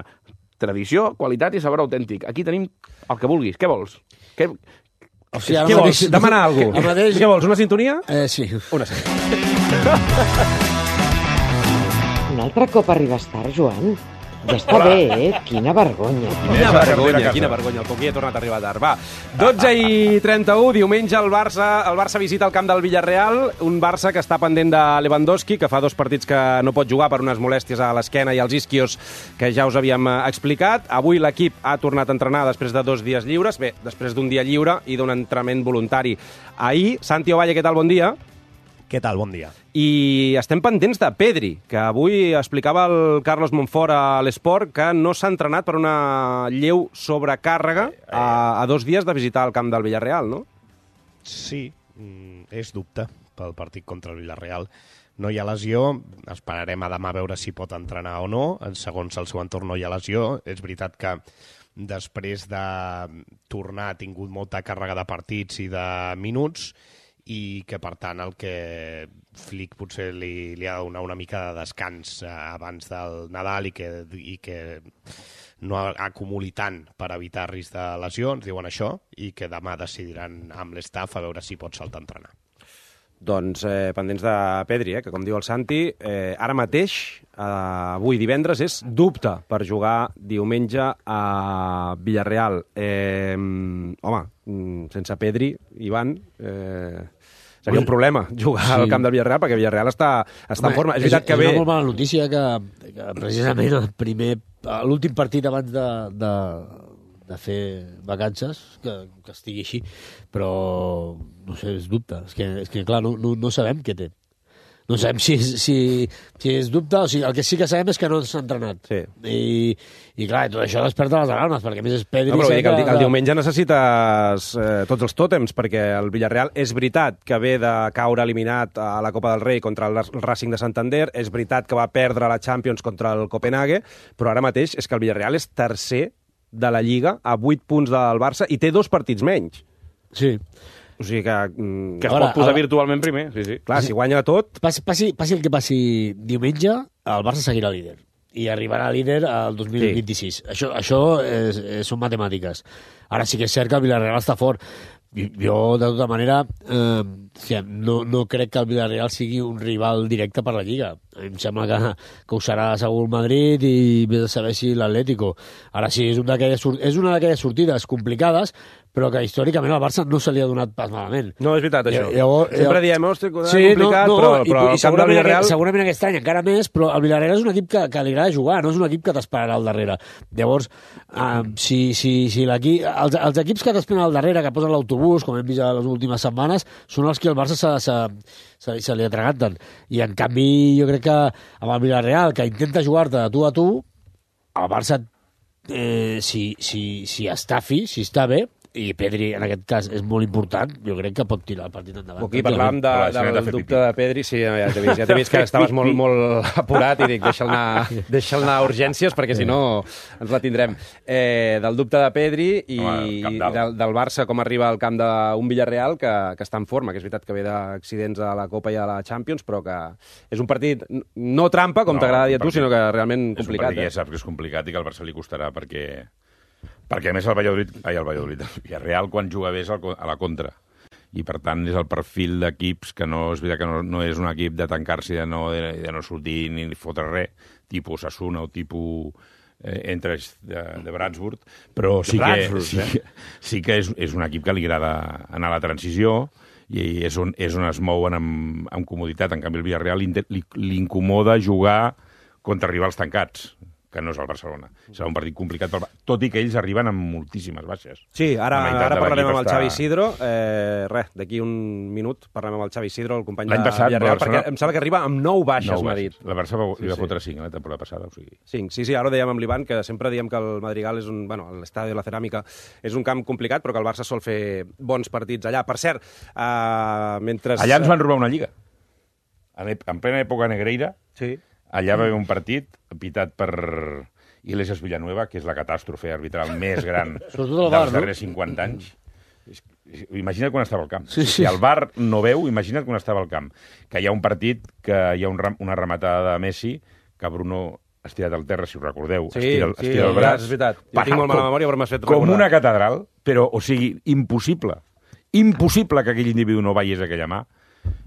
Tradició, qualitat i sabor autèntic. Aquí tenim el que vulguis. Què vols? Què... O sigui, ara Què vols? mateix- Demanar alguna Ara cosa. mateix... Què vols, una sintonia? Eh, sí. Una sintonia. Un altre cop arribes tard, Joan? Ja està bé, eh? Quina vergonya. Quina vergonya, quina vergonya. El Coquí ha tornat a arribar tard. Va, dotze i trenta-u, diumenge el Barça, el Barça visita el camp del Villarreal, un Barça que està pendent de Lewandowski, que fa dos partits que no pot jugar per unes molèsties a l'esquena i als isquios que ja us havíem eh, explicat. Avui l'equip ha tornat a entrenar després de dos dies lliures, bé, després d'un dia lliure i d'un entrenament voluntari. Ahir, Santi Ovalle, què tal? Bon dia. Què tal? Bon dia. I estem pendents de Pedri, que avui explicava el Carlos Monfort a l'Esport que no s'ha entrenat per una lleu sobrecàrrega a, a dos dies de visitar el camp del Villarreal, no? Sí, mm, és dubte pel partit contra el Villarreal. No hi ha lesió, esperarem a demà a veure si pot entrenar o no. Segons el seu entorn no hi ha lesió. És veritat que després de tornar ha tingut molta càrrega de partits i de minuts, i que, per tant, el que Flick potser li, li ha de donar una mica de descans eh, abans del Nadal i que, i que no acumuli tant per evitar risc de lesió, ens diuen això, i que demà decidiran amb l'estaf a veure si pot saltar a entrenar. Doncs eh, pendents de Pedri, eh, que com diu el Santi, eh, ara mateix, eh, avui divendres, és dubte per jugar diumenge a Villarreal. Eh, home, sense Pedri, Ivan... Eh, seria un problema jugar sí. al camp del Villarreal, perquè Villarreal està, està Home, en forma. És, és, veritat que és ve... una molt mala notícia que, que precisament el primer, l'últim partit abans de, de, de fer vacances, que, que estigui així, però no sé, és dubte. És que, és que clar, no, no, no sabem què té. No sabem si, si, si és dubte, o sigui, el que sí que sabem és que no s'ha entrenat. Sí. I, I clar, tot això desperta les alarmes, perquè a més és Pedri... No, però dic, el, que... el diumenge necessites eh, tots els tòtems, perquè el Villarreal és veritat que ve de caure eliminat a la Copa del Rei contra el Racing de Santander, és veritat que va perdre la Champions contra el Copenhague, però ara mateix és que el Villarreal és tercer de la Lliga a vuit punts del Barça i té dos partits menys. Sí. O sigui que... Mm, que es ara, pot posar ara... virtualment primer, sí, sí. Clar, si guanya tot... Passi, passi, passi el que passi diumenge, el Barça seguirà líder. I arribarà líder al dos mil vint-i-sis. Sí. Això, això és, és, són matemàtiques. Ara sí que és cert que el Villarreal està fort. Jo, de tota manera, eh, no, no crec que el Villarreal sigui un rival directe per la Lliga. A mi em sembla que, que ho serà segur el Madrid i vés a saber si l'Atlético. Ara sí, és, un és una d'aquelles sortides complicades, però que històricament al Barça no se li ha donat pas malament. No, és veritat, això. I, llavors, Sempre diem, hosti, sí, complicat, no, no, però, i, però i, el camp del Villarreal... Aquest, segurament aquest any encara més, però el Villarreal és un equip que, que li agrada jugar, no és un equip que t'esperarà al darrere. Llavors, um, si, si, si l'equip... Els, els equips que t'esperen al darrere, que posen l'autobús, com hem vist a les últimes setmanes, són els que el Barça se, se, se, se li atraganten. I, en canvi, jo crec que amb el Villarreal, que intenta jugar-te de tu a tu, el Barça, eh, si, si, si està fi, si està bé, i Pedri, en aquest cas, és molt important, jo crec que pot tirar el partit endavant. Aquí parlàvem de, del de dubte de Pedri, sí, ja t'he vist, ja t'he vist que estaves molt, molt apurat i dic, deixa'l anar, deixa'l anar a urgències, perquè si no ens la tindrem. Eh, del dubte de Pedri i, i del, del Barça, com arriba al camp d'un Villarreal que, que està en forma, que és veritat que ve d'accidents a la Copa i a la Champions, però que és un partit no trampa, com no, t'agrada dir a tu, sinó que realment complicat. És un partit que ja saps que és complicat i que al Barça li costarà, perquè... Perquè, a més, el Valladolid, ai, el Valladolid, el Villarreal, quan juga bé és a la contra. I, per tant, és el perfil d'equips que no és veritat que no, no és un equip de tancar-se i de no, de, de no sortir ni fotre res, tipus Osasuna o tipus eh, entre de, de Bratsburg, però sí que, sí, eh? sí que és, és un equip que li agrada anar a la transició i és on, és on es mouen amb, amb comoditat. En canvi, el Villarreal li, li incomoda jugar contra rivals tancats, que no és el Barcelona. Serà un partit complicat, pel... tot i que ells arriben amb moltíssimes baixes. Sí, ara, ara parlarem amb el Xavi Isidro. Eh, res, d'aquí un minut parlarem amb el Xavi Isidro, el company de Villarreal, perquè em sembla que arriba amb nou baixes, m'ha dit. La Barça li va sí, fotre cinc la temporada passada. O sigui. Cinc, sí, sí, ara ho dèiem amb l'Ivan, que sempre diem que el Madrigal és un... Bueno, l'estadi de la Ceràmica és un camp complicat, però que el Barça sol fer bons partits allà. Per cert, eh, mentre... Allà ens van robar una lliga. En plena època Negreira, sí. Allà va haver un partit pitat per Iglesias Villanueva, que és la catàstrofe arbitral més gran dels darrers cinquanta anys. Imagina't quan estava al camp. Sí, sí. Si el V A R no veu, imagina't quan estava al camp. Que hi ha un partit, que hi ha un, una rematada de Messi, que Bruno ha estirat al terra, si ho recordeu. Sí, estira, sí, estira el braç. És veritat. Jo tinc molt mala memòria, però m'has fet recordar. Com una catedral, però, o sigui, impossible. Impossible que aquell individu no veiés aquella mà.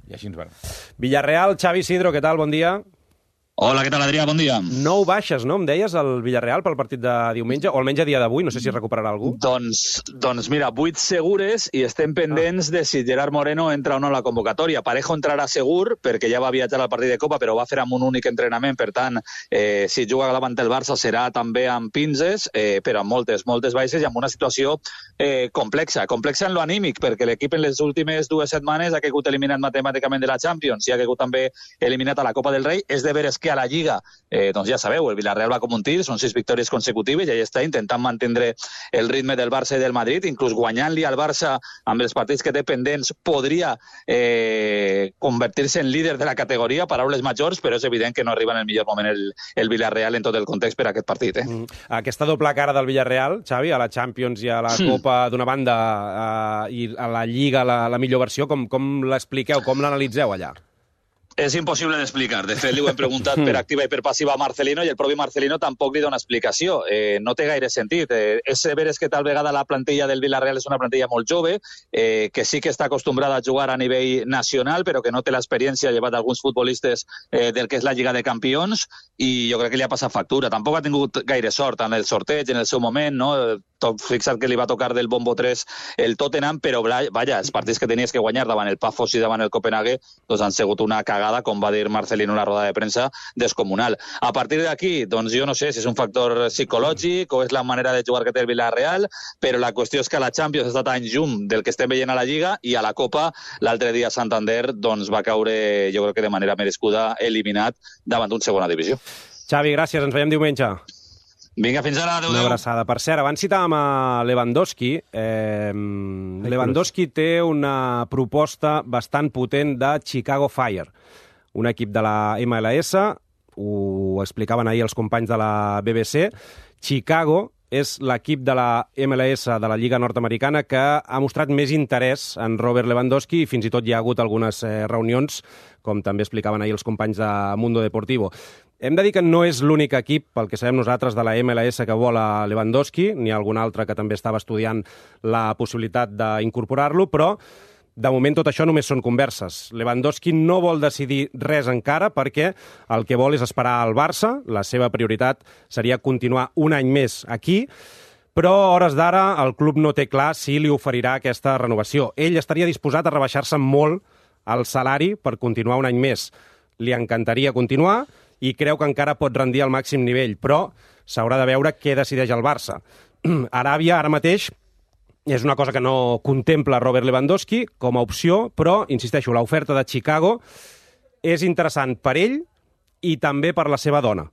I així ens van. Villarreal, Xavi Isidro, què tal? Bon dia. Hola, què tal, Adrià? Bon dia. Nou baixes, no? Em deies, el Villarreal pel partit de diumenge, o almenys a dia d'avui, no sé si recuperarà algú. Doncs, doncs mira, vuit segures i estem pendents ah. de si Gerard Moreno entra o no a la convocatòria. Parejo entrarà segur, perquè ja va viatjar al partit de Copa, però va fer amb un únic entrenament, per tant, eh, si juga davant el Barça serà també amb pinces, eh, però amb moltes, moltes baixes i amb una situació eh, complexa. Complexa en lo anímic, perquè l'equip en les últimes dues setmanes ha caigut eliminat matemàticament de la Champions i ha caigut també eliminat a la Copa del Rei. És de veres que a la Lliga, eh, doncs ja sabeu, el Villarreal va com un tir, són sis victòries consecutives i allà està intentant mantenir el ritme del Barça i del Madrid, inclús guanyant-li al Barça amb els partits que té pendents podria eh, convertir-se en líder de la categoria, paraules majors, però és evident que no arriba en el millor moment el, el Villarreal en tot el context per a aquest partit. Eh? Mm. Aquesta doble cara del Villarreal, Xavi, a la Champions i a la Copa d'una banda eh, i a la Lliga la, la millor versió, com, com l'expliqueu, com l'analitzeu allà? És impossible d'explicar. De fet, li ho hem preguntat per activa i per passiva a Marcelino i el propi Marcelino tampoc li dona explicació. Eh, no té gaire sentit. Eh, és veres que tal vegada la plantilla del Villarreal és una plantilla molt jove, eh, que sí que està acostumbrada a jugar a nivell nacional, però que no té l'experiència llevat d'alguns futbolistes eh, del que és la Lliga de Campions, i jo crec que li ha passat factura. Tampoc ha tingut gaire sort en el sorteig, en el seu moment, no? Tot fixat que li va tocar del bombo tres el Tottenham, però vaja, els partits que tenies que guanyar davant el Pafos i davant el Copenhague doncs han sigut una cagada entrada, com va dir Marcelino en la roda de premsa, descomunal. A partir d'aquí, doncs jo no sé si és un factor psicològic o és la manera de jugar que té el Villarreal, però la qüestió és que a la Champions està tan llum del que estem veient a la Lliga i a la Copa, l'altre dia a Santander, doncs va caure, jo crec que de manera merescuda, eliminat davant d'un segona divisió. Xavi, gràcies, ens veiem diumenge. Vinga, fins ara, adéu, Una adéu. abraçada. Per cert, abans citàvem a Lewandowski. Eh, Lewandowski té una proposta bastant potent de Chicago Fire, un equip de la M L S, ho explicaven ahir els companys de la B B C. Chicago és l'equip de la M L S de la Lliga Nord-Americana que ha mostrat més interès en Robert Lewandowski i fins i tot hi ha hagut algunes eh, reunions, com també explicaven ahir els companys de Mundo Deportivo. Hem de dir que no és l'únic equip, pel que sabem nosaltres, de la M L S que vol a Lewandowski, n'hi ha algun altre que també estava estudiant la possibilitat d'incorporar-lo, però de moment tot això només són converses. Lewandowski no vol decidir res encara perquè el que vol és esperar al Barça, la seva prioritat seria continuar un any més aquí, però a hores d'ara el club no té clar si li oferirà aquesta renovació. Ell estaria disposat a rebaixar-se molt el salari per continuar un any més. Li encantaria continuar i creu que encara pot rendir al màxim nivell, però s'haurà de veure què decideix el Barça. Aràbia, ara mateix, és una cosa que no contempla Robert Lewandowski com a opció, però, insisteixo, l'oferta de Chicago és interessant per ell i també per la seva dona.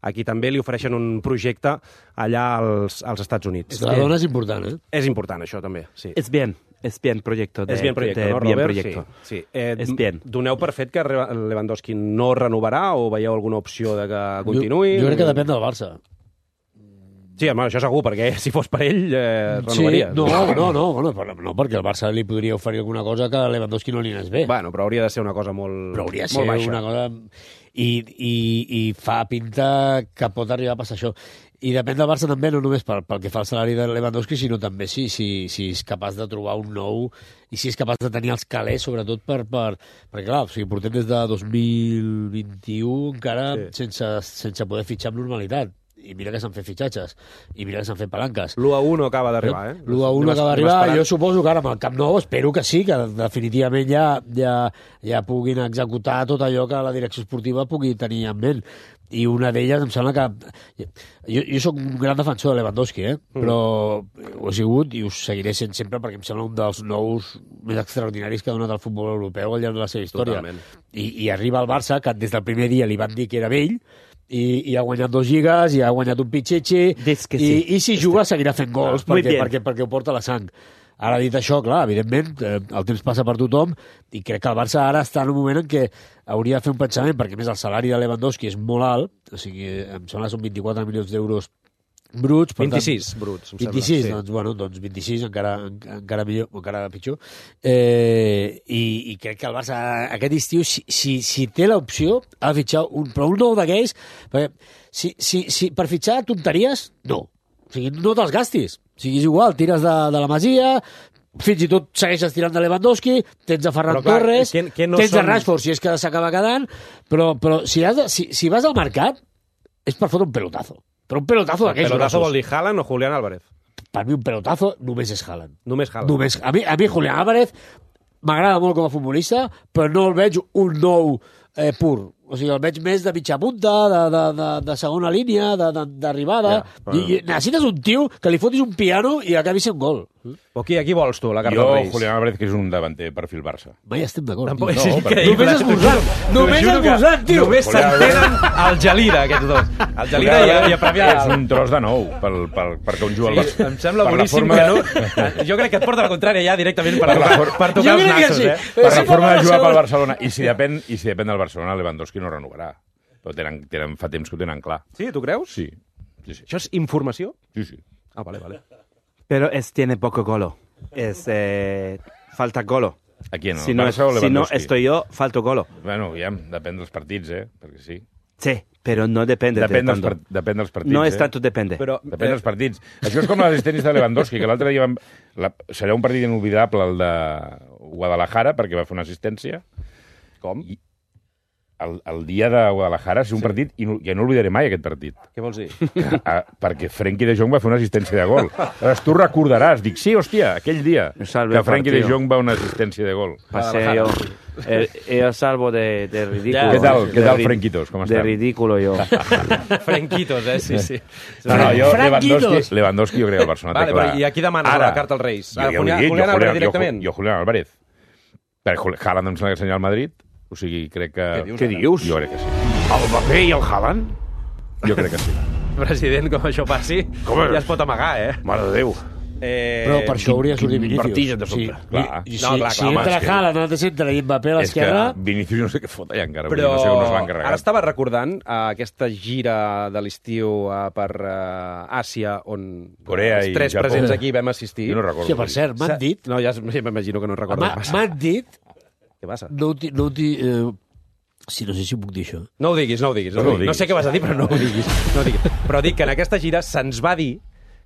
Aquí també li ofereixen un projecte allà als, als Estats Units. La dona és important, eh? És important, això, també, sí. Es bien, es bien proyecto. De, és bien proyecto, de, no, bien Robert? proyecto. Sí, sí. Eh, es bien. Doneu per fet que Lewandowski no renovarà o veieu alguna opció de que continuï? Jo, jo crec que depèn del Barça. Sí, home, això segur, perquè si fos per ell, eh, renovaria. Sí, no, no, no, bueno, no, perquè el Barça li podria oferir alguna cosa que a Lewandowski no li anés bé. Bueno, però hauria de ser una cosa molt, però hauria de molt ser baixa. una cosa... I, i, I fa pinta que pot arribar a passar això. I depèn del Barça també, no només pel, pel que fa al salari de Lewandowski, sinó també si, si, si és capaç de trobar un nou i si és capaç de tenir els calés, sobretot per... per perquè, clar, o sigui, portem des de dos mil vint-i-u encara sí. sense, sense poder fitxar amb normalitat. I mira que s'han fet fitxatges, i mira que s'han fet palanques. L'u a u no acaba d'arribar, eh? L'u a u no acaba d'arribar, jo suposo que ara amb el Camp Nou espero que sí, que definitivament ja, ja, ja puguin executar tot allò que la direcció esportiva pugui tenir en ment. I una d'elles em sembla que... Jo, jo sóc un gran defensor de Lewandowski, eh? Mm. Però ho he sigut i ho seguiré sent sempre perquè em sembla un dels nous més extraordinaris que ha donat el futbol europeu al llarg de la seva història. I, I arriba al Barça, que des del primer dia li van dir que era vell, i, i ha guanyat dos lligues, i ha guanyat un pitxetxe, sí. i, i si juga seguirà fent gols Muy perquè, bien. perquè, perquè ho porta la sang. Ara, dit això, clar, evidentment, eh, el temps passa per tothom i crec que el Barça ara està en un moment en què hauria de fer un pensament, perquè a més el salari de Lewandowski és molt alt, o sigui, em sembla que són vint-i-quatre milions d'euros bruts. Per vint-i-sis tant, bruts, em vint-i-sis, sembla, doncs, bueno, doncs vint-i-sis, encara, encara millor, encara pitjor. Eh, i, I crec que el Barça aquest estiu, si, si, si té l'opció, ha de fitxar un, però un nou d'aquells, perquè si, si, si, per fitxar tonteries, no. O sigui, no te'ls gastis. O sigui, és igual, tires de, de la Masia, fins i tot segueixes tirant de Lewandowski, tens a Ferran Però, clar, Torres, que- que no tens són- a Rashford, si és que s'acaba quedant, però, però si, has de, si, si vas al mercat, és per fotre un pelotazo. Però un pelotazo El d'aquells pelotazo grossos. vol dir Haaland o Julián Álvarez? Per mi un pelotazo només és Haaland. Només Haaland. Només, a, mi, a mi Julián Álvarez m'agrada molt com a futbolista, però no el veig un nou eh, pur. O sigui, el veig més de mitja punta, de, de, de, de segona línia, d'arribada. Ja, però- I, I necessites un tio que li fotis un piano i acabi sent gol. O qui, a qui vols tu, la carta Jo, dels Reis? Julián Álvarez, que és un davanter perfil Barça. Mai estem d'acord. Tampoc tio. és No, increïble. Només esmorzant. Només T'ho juro que esmorzant, tio. Només s'entenen al Gelida, aquests dos. El Gelida i, i a Premià. És un tros de nou pel, pel, perquè un juga al Barça. Em sembla Per la boníssim forma que de- no... Jo crec que et porta la contrària ja directament per, Per la per, for- per tocar Jo els crec que nassos, sí. eh? Per la Sí, forma de per jugar la pel Barcelona. I si depèn, i si depèn del Barcelona, Lewandowski no renovarà. Però tenen, tenen, fa temps que ho tenen clar. Sí, tu creus? Sí. sí, sí. Això és informació? sí, sí. Ah, vale, vale. Pero es, tiene poco golo. Es, eh, falta golo. A qui no? Si no, Barça o si no Lewandowski? estoy yo, falto golo. Bueno, ja, depèn dels partits, eh? Perquè sí. Sí, pero no depende Depèn de dels, tanto. part, depèn dels partits, No es eh? tanto depende. Però, Depèn dels partits. Això és com les tenis de Lewandowski, que l'altre dia vam... La... serà un partit inolvidable, el de Guadalajara, perquè va fer una assistència. Com? I... el, el dia de Guadalajara és un sí. partit, i no, ja no oblidaré mai aquest partit. Què vols dir? Que, a, perquè Frenkie de Jong va fer una assistència de gol. Aleshores, tu recordaràs, dic, sí, hòstia, aquell dia que Frenkie de Jong va una assistència de gol. Paseo. El, el salvo de, de ridículo. Què tal, què tal Frenquitos? Com de ridículo, jo. Frenquitos, eh? Sí, sí. No, no, jo, Lewandowski, Lewandowski jo crec que el Barcelona vale, té clar. I aquí demanes Ara, la carta als Reis? Jo, Julián, jo, Julián Álvarez jo, directament? Jo, jo Julián Álvarez. Perquè Haaland em sembla que senyal al Madrid, o sigui, crec que... Què dius? Què dius? Jo crec que sí. El Mbappé i el Haaland? Jo crec que sí. President, com això passi, com ja es pot amagar, eh? Mare de Déu. Eh... Però per això hauria de sortir Quin Vinícius. vertigen de sobte. Sí. Clar. I, i, No, si, clar, si clar, entra home, Haaland al centre i Mbappé a l'esquerra... És que Vinícius no sé què fot allà encara. Però No sé on es van carregar. ara estava recordant uh, aquesta gira de l'estiu uh, per uh, Àsia, on Corea els i tres Japó. presents aquí vam assistir. Jo no recordo. Sí, per cert, m'han dit... No, ja m'imagino que no recordo. M'ha- M'han dit... Què passa? No, ho ti- no, ho ti- eh, sí, no sé si puc dir això. No ho diguis, no ho diguis. No, No ho ho diguis. no diguis. sé què vas a dir, però no ho diguis. No ho diguis. Però dic que en aquesta gira se'ns va dir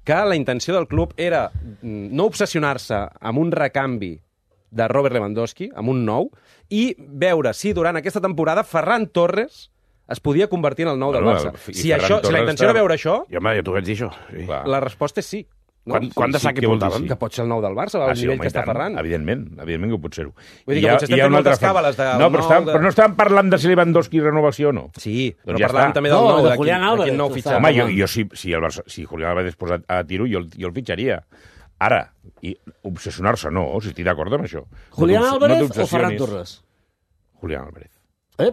que la intenció del club era mm, no obsessionar-se amb un recanvi de Robert Lewandowski, amb un nou, i veure si durant aquesta temporada Ferran Torres es podia convertir en el nou del Bueno, Barça. i Si, Ferran això, si la Torres intenció era està- veure això, Jo, home, ja t'ho vaig dir, això. Sí. Clar. la resposta és sí. No? Quan, quan de sí, sac que què vol dir portaven? sí? Que pot ser el nou del Barça, al Ah, sí, nivell home, que i està tant. Ferran. Evidentment, evidentment que pot ser-ho. Vull dir I que hi ha- potser estem hi ha fent una altra moltes càbales del No, però, nou estàvem, de- però no estàvem parlant de si Lewandowski renovació o no. Sí, però Doncs ja parlàvem està. també del No, nou, de de quin, Julián de Álvarez, quin nou que fitxatge. Home, jo, jo si, si, el Barça, si Julián Álvarez es posa a tiro, jo, el- jo el fitxaria. Ara, i obsessionar-se no, si estic d'acord amb això. Julián No t'obs- Álvarez no o Ferran t'obsessionis. Torres? Julián Álvarez. Eh?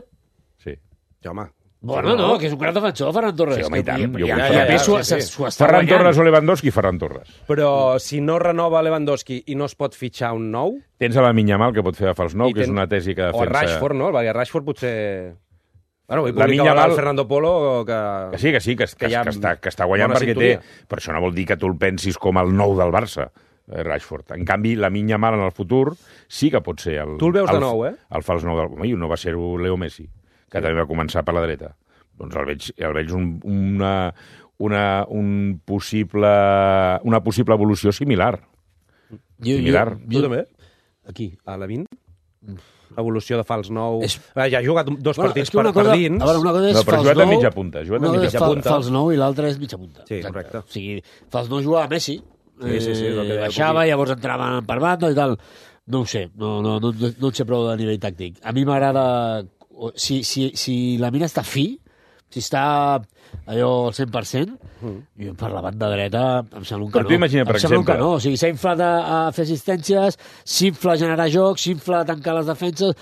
Sí. Ja, home. Bueno, no, que és un gran defensor, Ferran Torres. Sí, home, i tant, Que- jo ja, vull ja, Ferran ja, Torres, s'ho- sí, sí. s'ho està Ferran guanyant. Torres o Lewandowski, Ferran Torres. Però si no renova Lewandowski i no es pot fitxar un nou... Tens a la Minyamal, que pot fer de fals nou, i que és tens- una tesi que defensa... O a Rashford, no? Perquè Rashford potser... Bueno, avui La publicava Minyamal- el Fernando Polo que... Que sí, que sí, que, que, que hi ha que, està, que està guanyant bona perquè sintonia. té... Però això no vol dir que tu el pensis com el nou del Barça, eh, Rashford. En canvi, la Minyamal en el futur sí que pot ser el... Tu el veus de el, nou, eh? El fals nou del... Home, i no va ser-ho Leo Messi, que també va començar per la dreta. Doncs el veig, el veig un, una, una, un possible, una possible evolució similar. Jo, Similar. Tu també? Aquí, a la vint? Evolució de fals nou... És- Ah, ja ha jugat dos Bueno, partits és que una per, cosa, per dins. A veure, una cosa és No, però ha fals jugat a nou, mitja punta, ha jugat a una cosa mitja és fal- punta. fals nou i l'altra és mitja punta. Sí, correcte. O sigui, fals nou jugava a Messi. Sí, sí, sí, és el que eh, deia baixava, Cuqui. llavors entraven per banda i tal. No ho sé, no, no, no, no en sé prou de nivell tàctic. A mi m'agrada... Si, si, si la mina està fi, si està allò al cent per cent, Mm. jo per la banda dreta em sembla un Però canó. tu imagina, per em sembla exemple- un canó. O sigui, s'ha inflat a, a fer assistències, s'infla a generar joc, s'infla a tancar les defenses.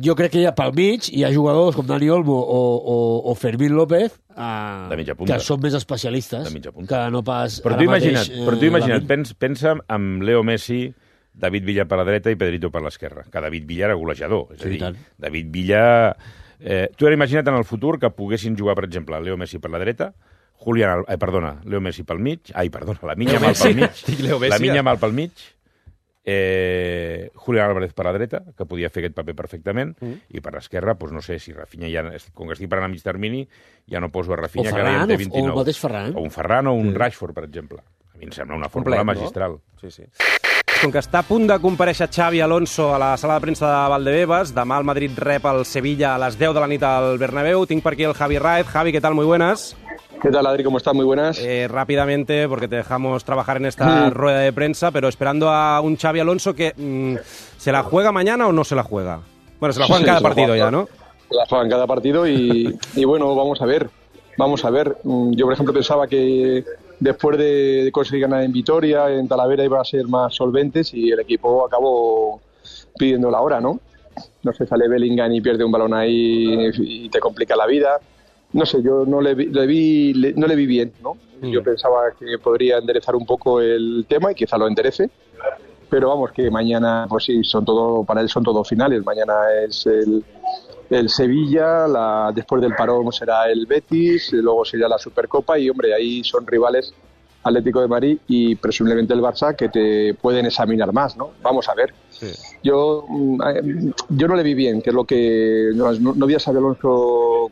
Jo crec que hi ha pel mig hi ha jugadors com Dani Olmo o, o, o Fermín López eh, De mitja punta. que són més especialistes De mitja punta. que no pas Però ara tu imagina't, mateix, però tu eh, imagina't Lamine. pens, pensa amb Leo Messi, David Villa per la dreta i Pedrito per l'esquerra. Que David Villa era golejador. És Sí, a i dir, tant. David Villa... Eh, tu ara imagina't en el futur que poguessin jugar, per exemple, Leo Messi per la dreta, Julián, Al- eh, perdona, Leo Messi pel mig, ai, perdona, la Minya Mal pel mig, Dic Leo Messi, la Minya eh? Mal pel mig, eh, Julián Álvarez per la dreta, que podia fer aquest paper perfectament, mm. i per l'esquerra, doncs no sé, si Rafinha ja, com que estic parlant a mig termini, ja no poso a Rafinha, O que ara ja en Ferran, té o- vint-i-nou. o el mateix Ferran. O un Ferran o un mm. Rashford, per exemple. A mi em sembla una fórmula Complet, no? magistral. Sí, sí. Com que està a punt de comparèixer Xavi Alonso a la sala de premsa de Valdebebas, demà el Madrid rep el Sevilla a les deu de la nit al Bernabéu. Tinc per aquí el Javi Raez. Javi, ¿qué tal? Muy buenas. ¿Qué tal, Adri? ¿Cómo estás? Muy buenas. Eh, rápidamente, porque te dejamos trabajar en esta Mm. rueda de prensa, pero esperando a un Xavi Alonso que mm, ¿se la juega mañana o no se la juega? Bueno, se la juega en Sí, cada se la partido juega. ya, ¿no? Se la juega en cada partido y, y bueno, vamos a ver. Vamos a ver. Mm, Yo, por ejemplo, pensaba que después de conseguir ganar en Vitoria, en Talavera, iban a ser más solventes y el equipo acabó pidiendo la hora, ¿no? No sé, sale Bellingham y pierde un balón ahí y te complica la vida. No sé, yo no le vi, le vi le- no le vi bien, ¿no? Yo pensaba que podría enderezar un poco el tema y quizá lo enderece. Pero vamos, que mañana, pues sí, son todo, para él son todos finales. Mañana es el, el Sevilla, la, después del parón será el Betis, luego será la Supercopa y, hombre, ahí son rivales Atlético de Madrid y presumiblemente el Barça que te pueden examinar más, ¿no? Vamos a ver. Yo, mm, eh, yo no le vi bien, que es lo que... No, no vi a Xabi Alonso...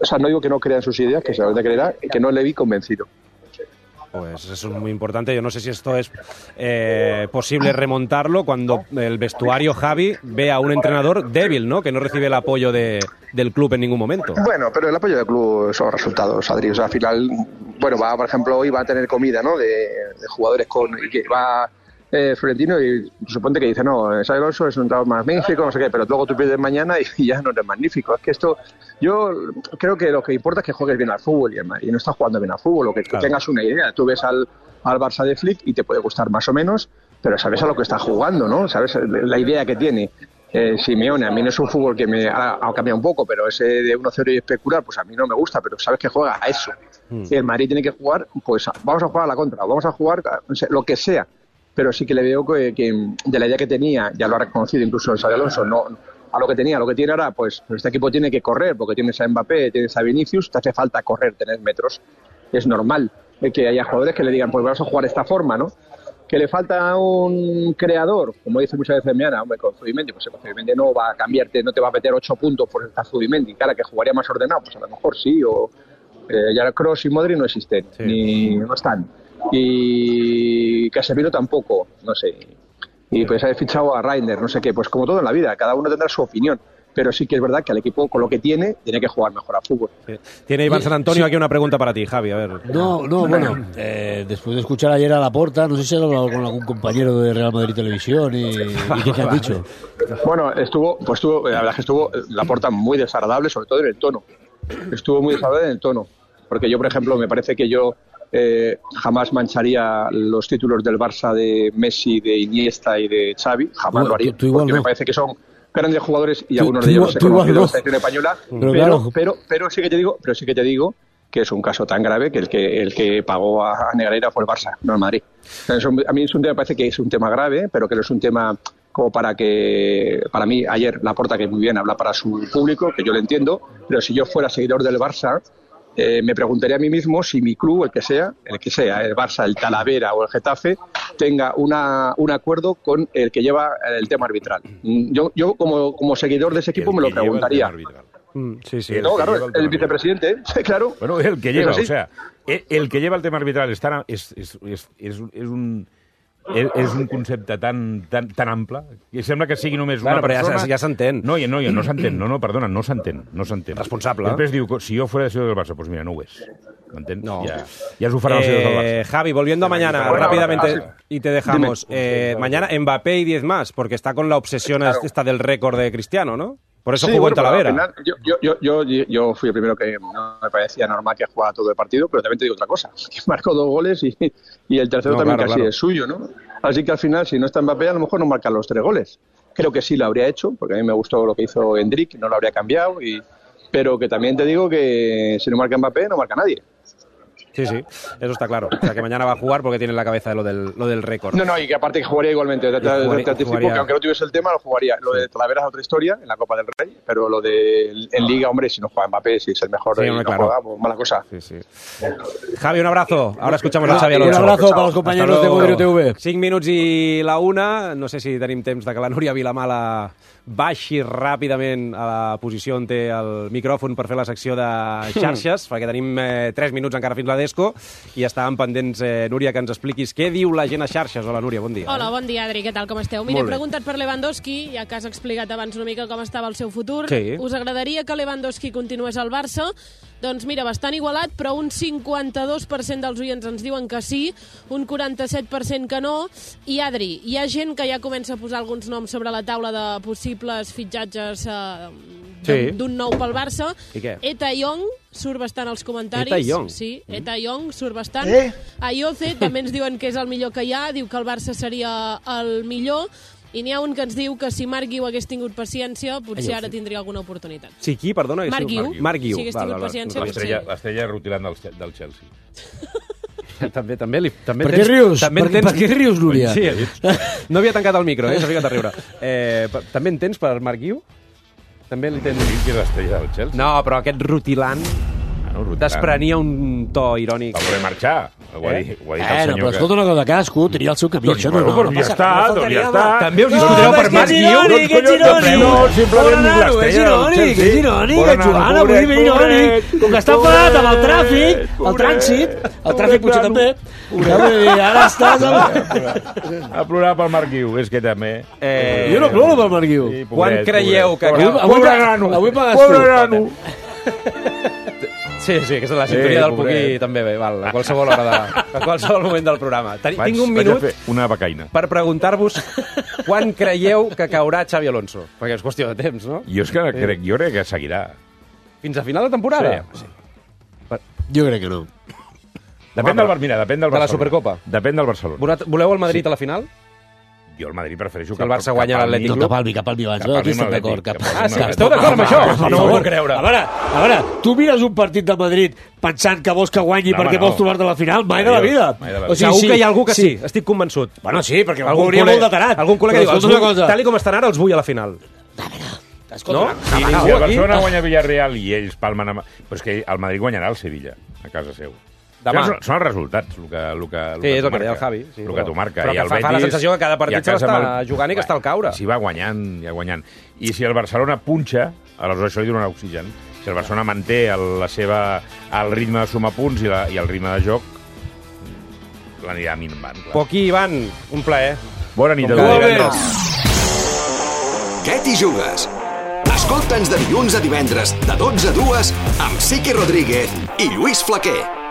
O sea, no digo que no crea en sus ideas, que se las de creer, que no le vi convencido. Pues eso es muy importante. Yo no sé si esto es eh, posible remontarlo cuando el vestuario Javi ve a un entrenador débil, ¿no? Que no recibe el apoyo de, del club en ningún momento. Bueno, pero el apoyo del club son resultados, Adri. O sea, al final, bueno, va, por ejemplo, hoy va a tener comida, ¿no? De, de jugadores con y que va eh, Florentino y suponte que dice, no, Xabi Alonso es un entrenador magnífico, no sé qué, pero luego tú pierdes mañana y, y ya no eres magnífico. Es que esto, yo creo que lo que importa es que juegues bien al fútbol y, y no estás jugando bien al fútbol, o que claro. tengas una idea. Tú ves al, al Barça de Flick y te puede gustar más o menos, pero sabes a lo que está jugando, ¿no? Sabes la idea que tiene. Eh, Simeone, a mí no es un fútbol que me ha, ha cambiado un poco, pero ese de uno cero y especular, pues a mí no me gusta, pero sabes que juega a eso. Mm. Y el Madrid tiene que jugar, pues vamos a jugar a la contra, vamos a jugar a, lo que sea, pero sí que le veo que, que de la idea que tenía, ya lo ha reconocido incluso el Xabi Alonso, no, a lo que tenía, a lo que tiene ahora, pues este equipo tiene que correr, porque tienes a Mbappé, tienes a Vinicius, te hace falta correr, tener metros, es normal que haya jugadores que le digan, pues vamos a jugar de esta forma, ¿no? Que le falta un creador, como dice muchas veces Meana, hombre, con Zubimendi, pues con Zubimendi no va a cambiarte, no te va a meter ocho puntos por estar Zubimendi, cara, que jugaría más ordenado, pues a lo mejor sí, o eh, ya Kroos y Modric no existen, sí. ni no están, y Casemiro tampoco, no sé, y pues ha fichado a Reiner, no sé qué, pues como todo en la vida, cada uno tendrá su opinión. Pero sí que es verdad que al equipo, con lo que tiene, tiene que jugar mejor al fútbol. Sí. Tiene Iván San Antonio sí. aquí una pregunta para ti, Javi, a ver. No, no, bueno, eh, después de escuchar ayer a Laporta, no sé si has hablado con algún compañero de Real Madrid Televisión y, y qué te han dicho. Bueno, estuvo, pues estuvo, la verdad es que estuvo Laporta muy desagradable, sobre todo en el tono. Estuvo muy desagradable en el tono. Porque yo, por ejemplo, me parece que yo eh, jamás mancharía los títulos del Barça de Messi, de Iniesta y de Xavi, jamás bueno, lo haría. Tú, tú igual porque no. me parece que son grandes jugadores y tú, algunos de ellos se conocen de la selección española, pero, pero, claro. pero, pero sí que te digo, pero sí que te digo que es un caso tan grave que el que el que pagó a Negreira fue el Barça, no el Madrid. O sea, a mí es un tema, me parece que es un tema grave, pero que no es un tema como para que, para mí, ayer Laporta, que muy bien habla para su público, que yo lo entiendo, pero si yo fuera seguidor del Barça, Eh, me preguntaría a mí mismo si mi club, el que sea, el que sea, el Barça, el Talavera o el Getafe, tenga una, un acuerdo con el que lleva el tema arbitral. Yo, yo como, como seguidor de ese equipo, me lo preguntaría. Mm, sí, sí. No, claro, el, el vicepresidente, claro. Bueno, el que lleva, o sea, el, el que lleva el tema arbitral es, tan, es, es, es, és, és un... és un concepte tan, tan, tan ample que sembla que sigui només una claro, persona... Però ja, ja s'entén. No, no, no s'entén. No, no, perdona, no s'entén. No s'entén. Responsable. Després diu, si jo fuera de del Barça, pues mira, no ho és. ¿M'entens? No. Ya, ya su farán eh, los del Barça. Javi, volviendo a mañana, bueno, rápidamente, ah, sí. y te dejamos. Eh, mañana Mbappé y diez más, porque está con la obsesión claro. esta del récord de Cristiano, ¿no? Por eso sí, jugó bueno, en Talavera. Final, yo, yo, yo, yo, yo fui el primero que no me parecía normal que jugara todo el partido, pero también te digo otra cosa, que marcó dos goles y, y el tercero no, también claro, casi claro. es suyo, ¿no? Así que al final, si no está Mbappé, a lo mejor no marca los tres goles. Creo que sí lo habría hecho, porque a mí me gustó lo que hizo Endrick, no lo habría cambiado, y, pero que también te digo que si no marca Mbappé, no marca nadie. Sí, sí, eso está claro. O sea, que mañana va a jugar porque tiene en la cabeza lo del, lo del récord. No, no, y que aparte que jugaría igualmente. Te, jugaría, te anticipo jugaría... que aunque no tuviese el tema, lo jugaría. Lo de Talavera es otra historia, en la Copa del Rey, pero lo de en Liga, hombre, si no juega Mbappé, si es el mejor, sí, y no claro. juega, pues mala cosa. Sí, sí. Javi, un abrazo. Ahora escuchamos a Xavi Alonso. Un abrazo para los compañeros de Movirio T V. cinc minuts i la una. No sé si tenim temps de que la Núria Vilamala baixi ràpidament a la posició on té el micròfon per fer la secció de xarxes, perquè tenim eh, tres minuts encara fins la Desco i estàvem pendents, eh, Núria, que ens expliquis què diu la gent a xarxes. Hola, Núria, bon dia. Hola, bon dia, Adri, què tal, com esteu? Mira, he preguntat per Lewandowski, ja que has explicat abans una mica com estava el seu futur. Sí. Us agradaria que Lewandowski continués al Barça? Doncs mira, bastant igualat, però un cinquanta-dos per cent dels oients ens diuen que sí, un quaranta-set per cent que no, i Adri, hi ha gent que ja comença a posar alguns noms sobre la taula de possibles fitxatges eh, sí. d'un nou pel Barça. I què? Eta Young surt bastant als comentaris. Eta Young? Sí, Eta Young surt bastant. Eh? Ayoce també ens diuen que és el millor que hi ha, diu que el Barça seria el millor, i n'hi ha un que ens diu que si Marc Guiu hagués tingut paciència, potser Ai, ara tindria alguna oportunitat. Sí, qui? Perdona. Marc Guiu. Marc Guiu. Si hagués tingut paciència, potser... L'estrella rutilant del, del Chelsea. també, també, li, també per què tens, rius? També per, tens... per què rius, Núria? Sí, no havia tancat el micro, eh? S'ha ficat a riure. Eh, també en tens per Marc Guiu? També li tens... Sí, que és l'estrella del Chelsea. No, però aquest rutilant... Desprenia un to irònic. Va voler marxar. Ho ha dit, ho ha dit Eh, el no, senyor però escolta una cosa, cadascú tenia el seu camí. Doncs, Això no, bueno, no, però no ja passa- està, no doncs ja faltaria, està. home. També us No, discutireu home, per és Mas que és Guiu? irònic, és irònic. No, simplement Pobre nano, és irònic, és irònic, és Joan, avui ve irònic. Com que està enfadat amb el tràfic, el trànsit, el tràfic potser també. Ja vull dir, ara estàs... Amb... A plorar pel Marc Guiu, és que també... Eh, Jo no ploro pel Marc Guiu. Sí, pobret, Quan creieu que... pobret. Avui- avui- Pobre nano, avui pagues pobre tu. nano. Sí, sí, aquesta és la sintonia Eh, del pobret. Puqui també bé, val, a qualsevol hora de, a qualsevol moment del programa. Ten, Vaig, tinc un vaig a minut fer una becaina. per preguntar-vos quan creieu que caurà Xavi Alonso, perquè és qüestió de temps, no? Jo és que crec, jo crec que seguirà. Fins a final de temporada? Sí. Jo crec que no. Depèn del, mira, depèn del De la Barcelona. Supercopa. Depèn del Barcelona. Voleu- Voleu el Madrid a la final? Jo el Madrid prefereixo Si el Barça guanya l'Atlètic No, Club. cap al mi, cap al mi abans. Cap No, al aquí mi estem amb d'acord. l'Atlètic, Cap... cap al Ah, mi sí, amb esteu d'acord amb això? Per No favor. ho puc creure. A veure, a veure, tu mires un partit de Madrid pensant que vols que guanyi No, perquè home, no. vols trobar-te a la final? Mai de la Adiós, vida. mai de la vida. O sigui, Segur sí, que hi ha algú que sí, estic convençut. Bueno, sí, perquè algú Algun hauria col·lega- molt de tarat. Algun col·lega Però diu, els escolta una vull, cosa. tal i com estan ara, els vull a la final. Escolta, No? una- Si, Ah, si algú el aquí? Barcelona guanya Villarreal i ells palmen amb... Però és que el Madrid guanyarà el Sevilla, a casa seu. Demà. Són, són els resultats, el que, el que, el Sí, que és el t'ho que deia el marca. Javi. Sí, el però- que t'ho marca. però I que el fa- fa la Betis, sensació que cada partit i a se casa l'està amb el- jugant i que està al caure. Si va guanyant, ja guanyant. I si el Barcelona punxa, aleshores això li donarà oxigen. Si el Barcelona manté el, la seva, el ritme de sumar punts i, la, i el ritme de joc, l'anirà minvant. Clar. Poquí, Ivan, un plaer. Bona nit a Com cada tots. divendres. Què t'hi jugues? Escolta'ns de dilluns a divendres, de dotze a dues, amb Siqui Rodríguez i Lluís Flaquer.